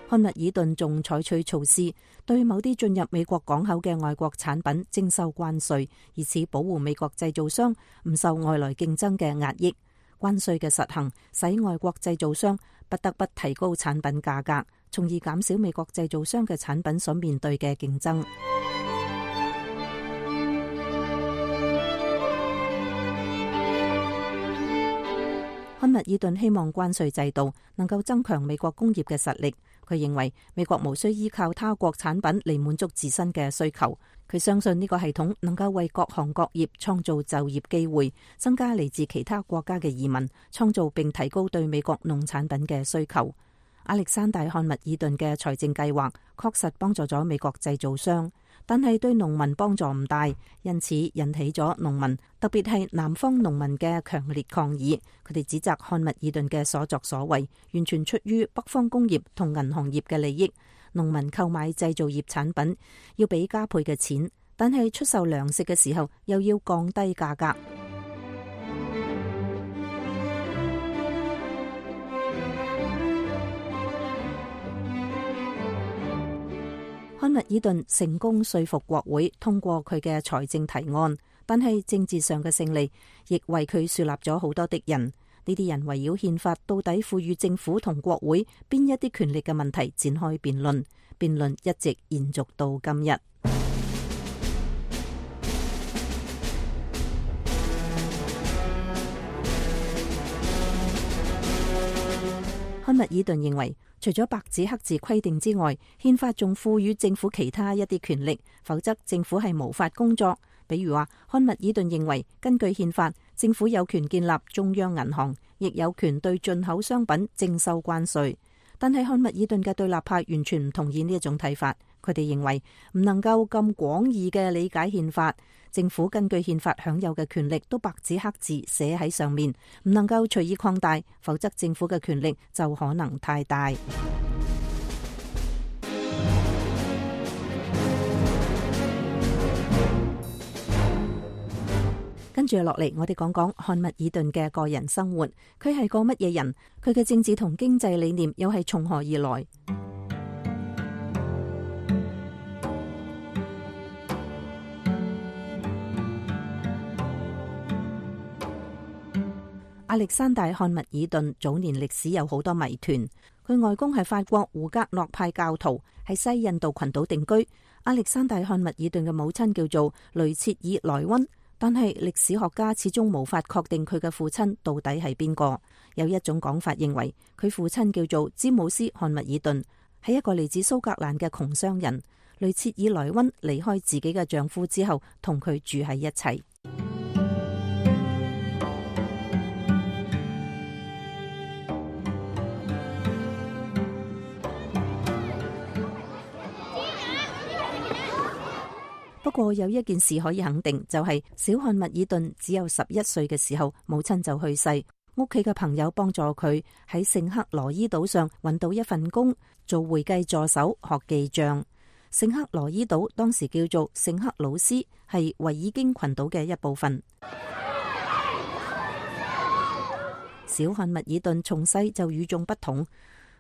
漢密爾頓仲採取措施，對某啲進入美國港口嘅外國產品徵收關稅，以此保護美國製造商唔受外來競爭嘅壓抑。關稅嘅實行使外國製造商不得不提高產品價格，從而減少美國製造商嘅產品所面對嘅競爭。漢密爾頓希望關稅制度能夠增強美國工業嘅實力。佢認為美國無需依靠他國產品嚟滿足自身嘅需求。佢相信呢個系統能夠為各行各業創造就業機會，增加嚟自其他國家嘅移民，創造並提高對美國農產品嘅需求。亞歷山大漢密爾頓嘅財政計劃確實幫助咗美國製造商，但係對農民幫助唔大，因此引起咗農民，特別係南方農民嘅強烈抗議。佢哋指責漢密爾頓嘅所作所為完全出於北方工業同銀行業嘅利益。農民購買製造業產品要俾加倍嘅錢，但係出售糧食嘅時候又要降低價格。漢密爾頓成功說服國會通過佢嘅財政提案，但係政治上嘅勝利亦為佢樹立咗好多敵人。呢啲人圍繞憲法到底賦予政府同國會邊一啲權力嘅問題展開辯論，辯論一直延續到今日。漢密爾頓認為，除咗白紙黑字規定之外，憲法仲賦予政府其他一啲權力，否則政府係無法工作。比如話，漢密爾頓認為，根據憲法，政府有權建立中央銀行，亦有權對進口商品徵收關稅。但係漢密爾頓嘅對立派完全唔同意呢一種睇法，佢哋認為唔能夠咁廣義嘅理解憲法。政府根據憲法享有嘅權力都白紙黑字寫喺上面，唔能夠隨意擴大，否則政府嘅權力就可能太大。跟住落嚟，我哋講講漢密爾頓嘅個人生活。佢係個乜嘢人？佢嘅政治同經濟理念又係從何而來？亞歷山大漢密爾頓早年歷史有好多謎團。佢外公係法國胡格諾派教徒，喺西印度群島定居。亞歷山大漢密爾頓嘅母親叫做雷切爾萊溫，但係歷史學家始終無法確定佢嘅父親到底係邊個。有一種講法認為佢父親叫做詹姆斯漢密爾頓，係一個嚟自蘇格蘭嘅窮商人。雷切爾萊溫離開自己嘅丈夫之後，同佢住喺一齊。不過有一件事可以肯定，就係小漢密爾頓只有11歲嘅時候，母親就去世。屋企嘅朋友幫助佢喺聖克羅伊島上揾到一份工，做會計助手，學記賬。聖克羅伊島當時叫做聖克魯斯，係維爾京群島嘅一部分。小漢密爾頓從細就與眾不同。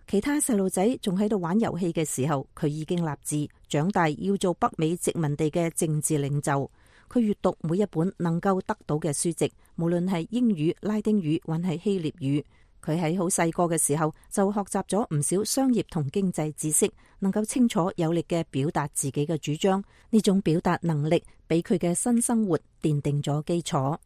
其他細路仔仲喺度玩遊戲嘅時候，佢已經立志長大要做北美殖民地嘅政治領袖。佢閱讀每一本能夠得到嘅書籍，無論係英語、拉丁語還係希臘語。佢喺好細個嘅時候就學習咗唔少商業同經濟知識，能夠清楚有力嘅表達自己嘅主張。呢種表達能力俾佢嘅新生活奠定咗基礎。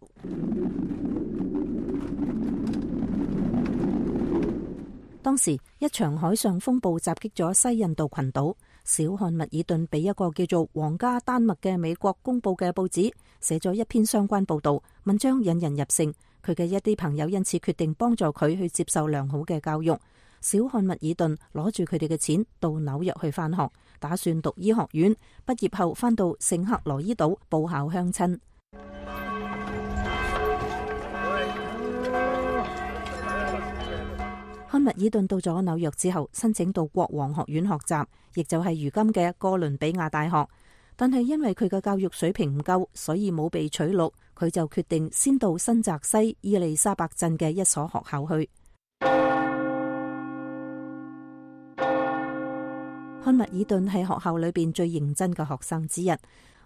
當時一場海上風暴襲擊咗西印度群島，小漢密爾頓俾一個叫做皇家丹麥嘅美國公佈嘅報紙寫咗一篇相關報道，文章引人入勝。佢嘅一啲朋友因此決定幫助佢去接受良好嘅教育。小漢密爾頓攞住佢哋嘅錢到紐約去返學，打算讀醫學院，畢業後返到聖克羅伊島報效鄉親。漢密爾頓到咗紐約之後，申請到國王學院學習，亦就係如今嘅哥倫比亞大學。但係因為佢嘅教育水平唔夠，所以冇被取錄。佢就決定先到新澤西伊利沙伯鎮嘅一所學校去。漢密爾頓係學校裏邊最認真嘅學生之一，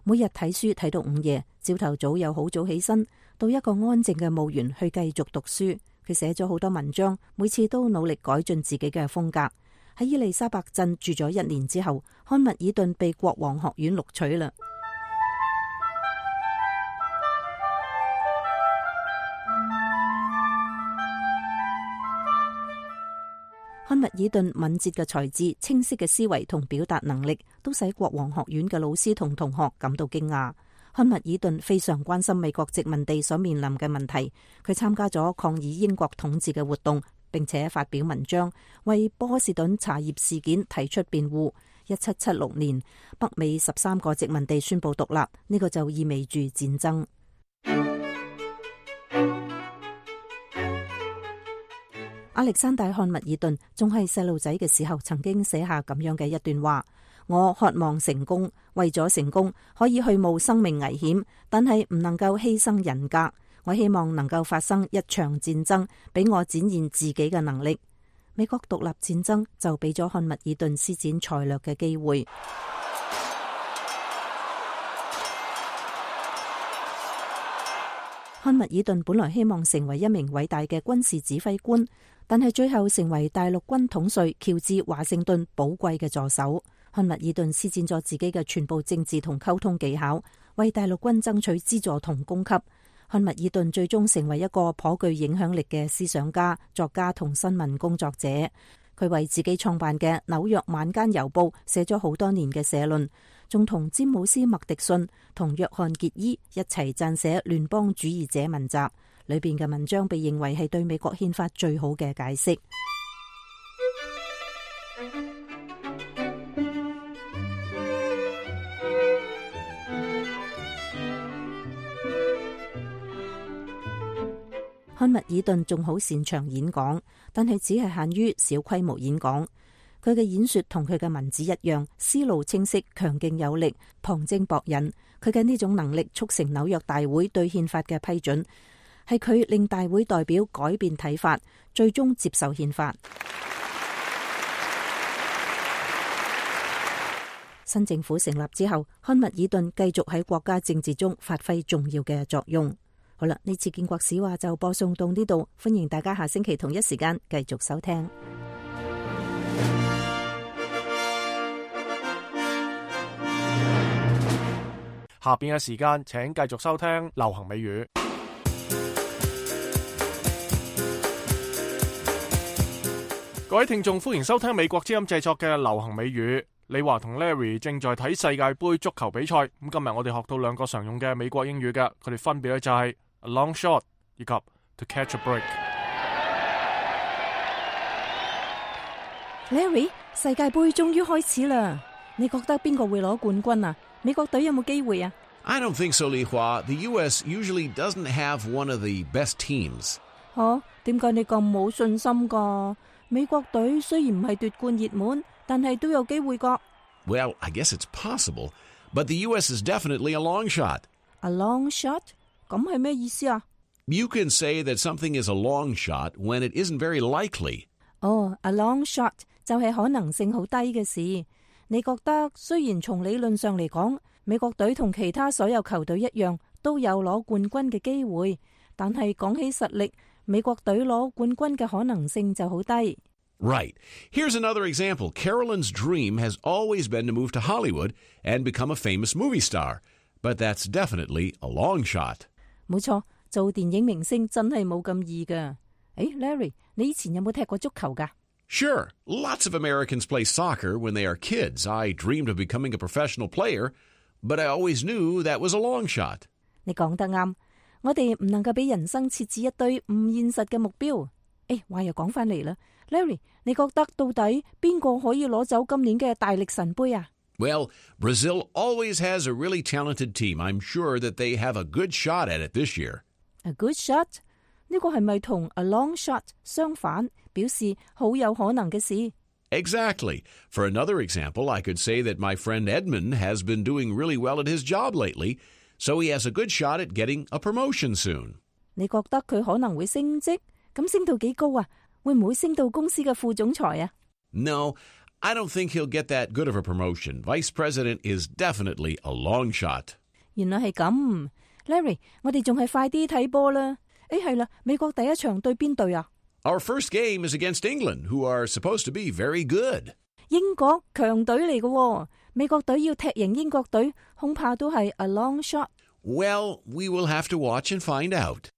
每日睇書睇到午夜，朝頭早又好早起身，到一個安靜嘅墓園去繼續讀書。佢寫咗好多文章，每次都努力改進自己嘅風格。喺伊利沙伯鎮住咗1年之後，漢密爾頓被國王學院錄取啦。漢密爾頓敏捷嘅才智、清晰嘅思維同表達能力，都使國王學院嘅老師同同學感到驚訝。漢密爾頓非常關心美國殖民地所面臨嘅問題，佢參加咗抗議英國統治嘅活動，並且發表文章，為波士頓茶葉事件提出辯護。1776年，北美13個殖民地宣布獨立，呢個就意味住戰爭。亞歷山大·漢密爾頓仲係細路仔嘅時候，曾經寫下咁樣嘅一段話：我渴望成功，為咗成功可以去冒生命危險，但係唔能夠犧牲人格。我希望能夠發生一場戰爭，俾我展現自己嘅能力。美國獨立戰爭就俾咗漢密爾頓施展才略嘅機會。漢密爾頓本來希望成為一名偉大嘅軍事指揮官，但係最後成為大陸軍統帥喬治華盛頓寶貴嘅助手。漢密爾頓施展咗自己嘅全部政治同溝通技巧，為大陸軍爭取資助同供給。漢密爾頓最終成為一個頗具影響力嘅思想家、作家同新聞工作者。佢為自己創辦嘅紐約晚間郵報寫咗好多年嘅社論，仲同詹姆斯麥迪遜同約翰傑伊一齊撰寫聯邦主義者文集，裏邊嘅文章被認為係對美國憲法最好嘅解釋。漢密爾頓仲好擅長演講，但係只係限於小規模演講。佢嘅演說同佢嘅文字一樣，思路清晰、強勁有力、旁徵博引。佢嘅呢種能力促成紐約大會對憲法嘅批准，係佢令大會代表改變睇法，最終接受憲法。新政府成立之後，漢密爾頓繼續喺國家政治中發揮重要嘅作用。好啦，呢次建國史話就播送到呢度，歡迎大家下星期同一時間繼續收聽。下邊嘅時間，請繼續收聽流行美語。各位聽眾，歡迎收聽美國之音製作嘅流行美語。李華同 Larry 正在睇世界盃足球比賽。咁今日我哋學到兩個常用嘅美國英語嘅，佢哋分別咧就係 a long shot 以及 to catch a break。 Larry， 世界盃終於開始啦，你覺得邊個會攞冠軍啊？美國隊有冇機會啊？ I don't think so, Li Hua. The U.S. usually doesn't have one of the best teams. 點解你咁冇信心噶？美國隊雖然唔係奪冠熱門，但係都有機會噶。Well, I guess it's possible, but the U.S. is definitely a long shot. A long shot? 咁係咩意思啊？ You can say that something is a long shot when it isn't very likely. A long shot 就係可能性好低嘅事。你覺得雖然從理論上嚟講，美國隊同其他所有球隊一樣都有攞冠軍嘅機會，但係講起實力，美國隊攞冠軍嘅可能性就好低。Right. Here's another example. Carolyn's dream has always been to move to Hollywood and become a famous movie star. But that's definitely a long shot. 冇錯，做電影明星真係冇咁易㗎。Larry， 你以前有冇踢過足球㗎？ Sure. Lots of Americans play soccer when they are kids. I dreamed of becoming a professional player, but I always knew that was a long shot. 你講得啱，我哋唔能夠俾人生設置一堆唔現實嘅目標。話又講翻嚟啦， Larry， 你覺得到底邊個可以攞走今年嘅大力神杯啊？ Well, Brazil always has a really talented team. I'm sure that they have a good shot at it this year. A good shot？ 呢個係咪同 a long shot 相反，表示好有可能嘅事？ Exactly. For another example, I could say that my friend Edmund has been doing really well at his job lately, so he has a good shot at getting a promotion soon. 你覺得佢可能會升職？咁升到幾高啊？會唔會升到公司嘅副總裁啊？ No, I don't think he'll get that good of a promotion. Vice President is definitely a long shot. 原來係咁 ，Larry， 我哋仲係快啲睇波啦。係啦，美國第一場對邊隊啊？ Our first game is against England, who are supposed to be very good. 英國強隊嚟嘅，美國隊要踢贏英國隊，恐怕都係 a long shot。 Well, we will have to watch and find out.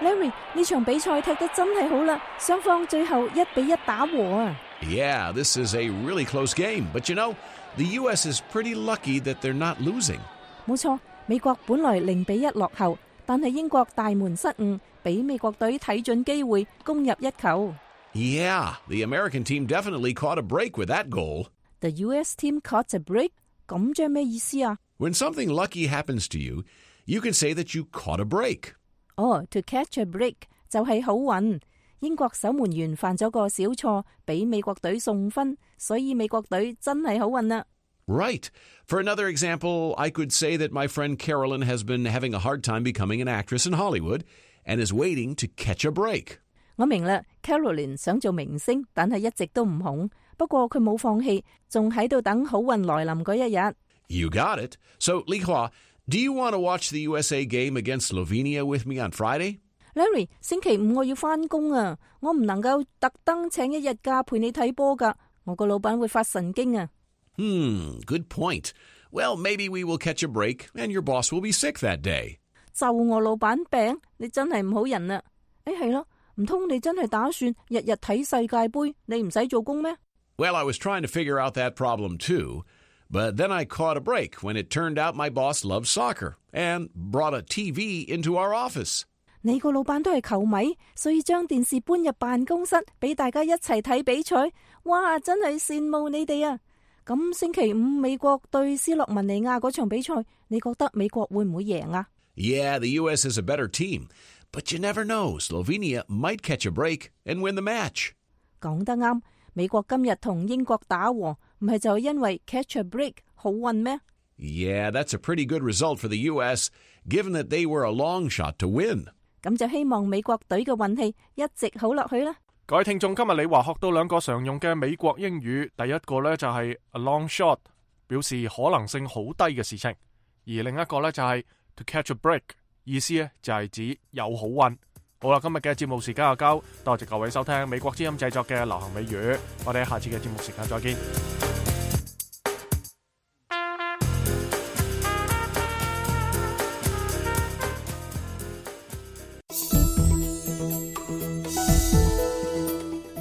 Larry， 呢場比賽踢得真係好啦，雙方最後1-1打和啊！ Yeah, this is a really close game, but you know, the U.S. is pretty lucky that they're not losing. 冇錯，美國本來0-1落後，但係英國大門失誤，俾美國隊睇準機會攻入一球。 Yeah, the American team definitely caught a break with that goal. The U.S. team caught a break？ 咁即係咩意思啊？ When something lucky happens to you, you can say that you caught a break. To catch a break 就係好運。英國守門員犯咗個小錯，俾美國隊送分，所以美國隊真係好運啦。 Right. For another example, I could say that my friend Carolyn has been having a hard time becoming an actress in Hollywood and is waiting to catch a break. 我明啦 ，Carolyn 想做明星，但係一直都唔紅。不過佢冇放棄，仲喺度等好運來臨嗰一日。 You got it. So, Li Hua, do you want to watch the USA game against Slovenia with me on Friday? Larry， 星期五我要返工啊，我唔能夠特登請一日假陪你睇波㗎，我個老闆會發神經啊。Good point. Well, maybe we will catch a break and your boss will be sick that day. 就我老闆病，你真係唔好人啊！係咯，唔通你真係打算日日睇世界盃，你唔使做工咩？ Well, I was trying to figure out that problem too, but then I caught a break when it turned out my boss loves soccer and brought a TV into our office. 你個老闆都係球迷，所以將電視搬入辦公室，俾大家一齊睇比賽。哇，真係羨慕你哋啊！咁星期五美國對斯洛文尼亞嗰場比賽，你覺得美國會唔會贏啊？ Yeah, the U.S. is a better team, but you never know. Slovenia might catch a break and win the match. 講得啱，美國今日同英國打和，唔係就係因為 catch a break 好運咩？ Yeah, that's a pretty good result for the U.S., given that they were a long shot to win. 咁就希望美國隊嘅運氣一直好落去啦。各位聽眾，今日李華學到兩個常用嘅美國英語，第一個呢就係 a long shot， 表示可能性好低嘅事情；而另一個呢就係 to catch a break， 意思呢就係指有好運。好啦，今日嘅節目時間就夠，多謝各位收聽美國之音製作嘅流行美語，我哋喺下次嘅節目時間再見。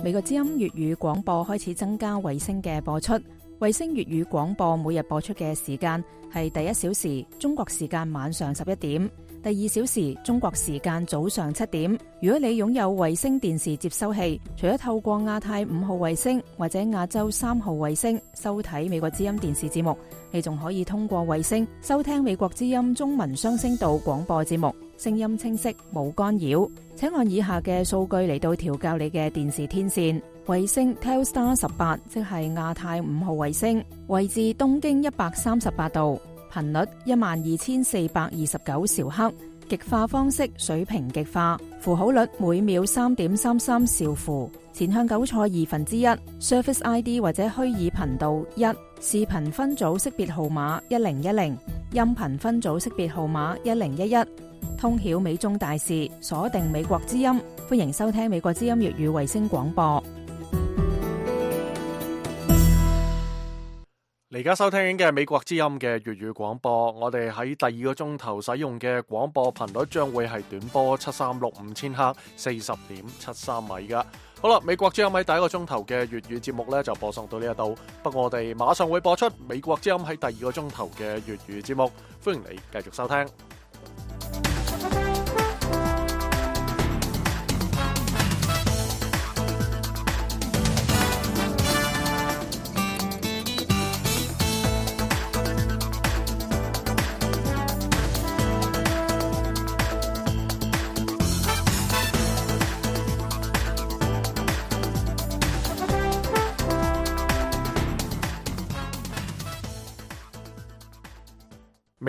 美國之音粵語廣播開始增加衛星嘅播出，衛星粵語廣播每日播出嘅時間係第1小時中國時間晚上11點，第2小時中國時間早上7點。如果你擁有衛星電視接收器，除咗透過亞太5號衛星或者亞洲3號衛星收睇美國之音電視節目，你仲可以通過衛星收聽美國之音中文雙聲道廣播節目，聲音清晰冇干擾。請按以下嘅數據嚟到調校你嘅電視天線。衛星 Telstar 18，即係亞太5號衛星，位置東經138度，頻率12429兆赫，極化方式水平極化，符號率每秒3.33兆符，前向9錯1/2 ，Surface ID 或者虛擬頻道1，視頻分組識別號碼1010，音頻分組識別號碼1011。通曉美中大事，鎖定美國之音，歡迎收聽美國之音粵語衛星廣播。而家收聽嘅係美國之音嘅粵語廣播，我哋喺第二個鐘頭使用嘅廣播頻率將會係短波7365千赫 40.73 米噶。好啦，美國之音喺第一個鐘頭嘅粵語節目呢就播送到呢一度，不過我哋馬上會播出美國之音喺第二個鐘頭嘅粵語節目，歡迎你繼續收聽。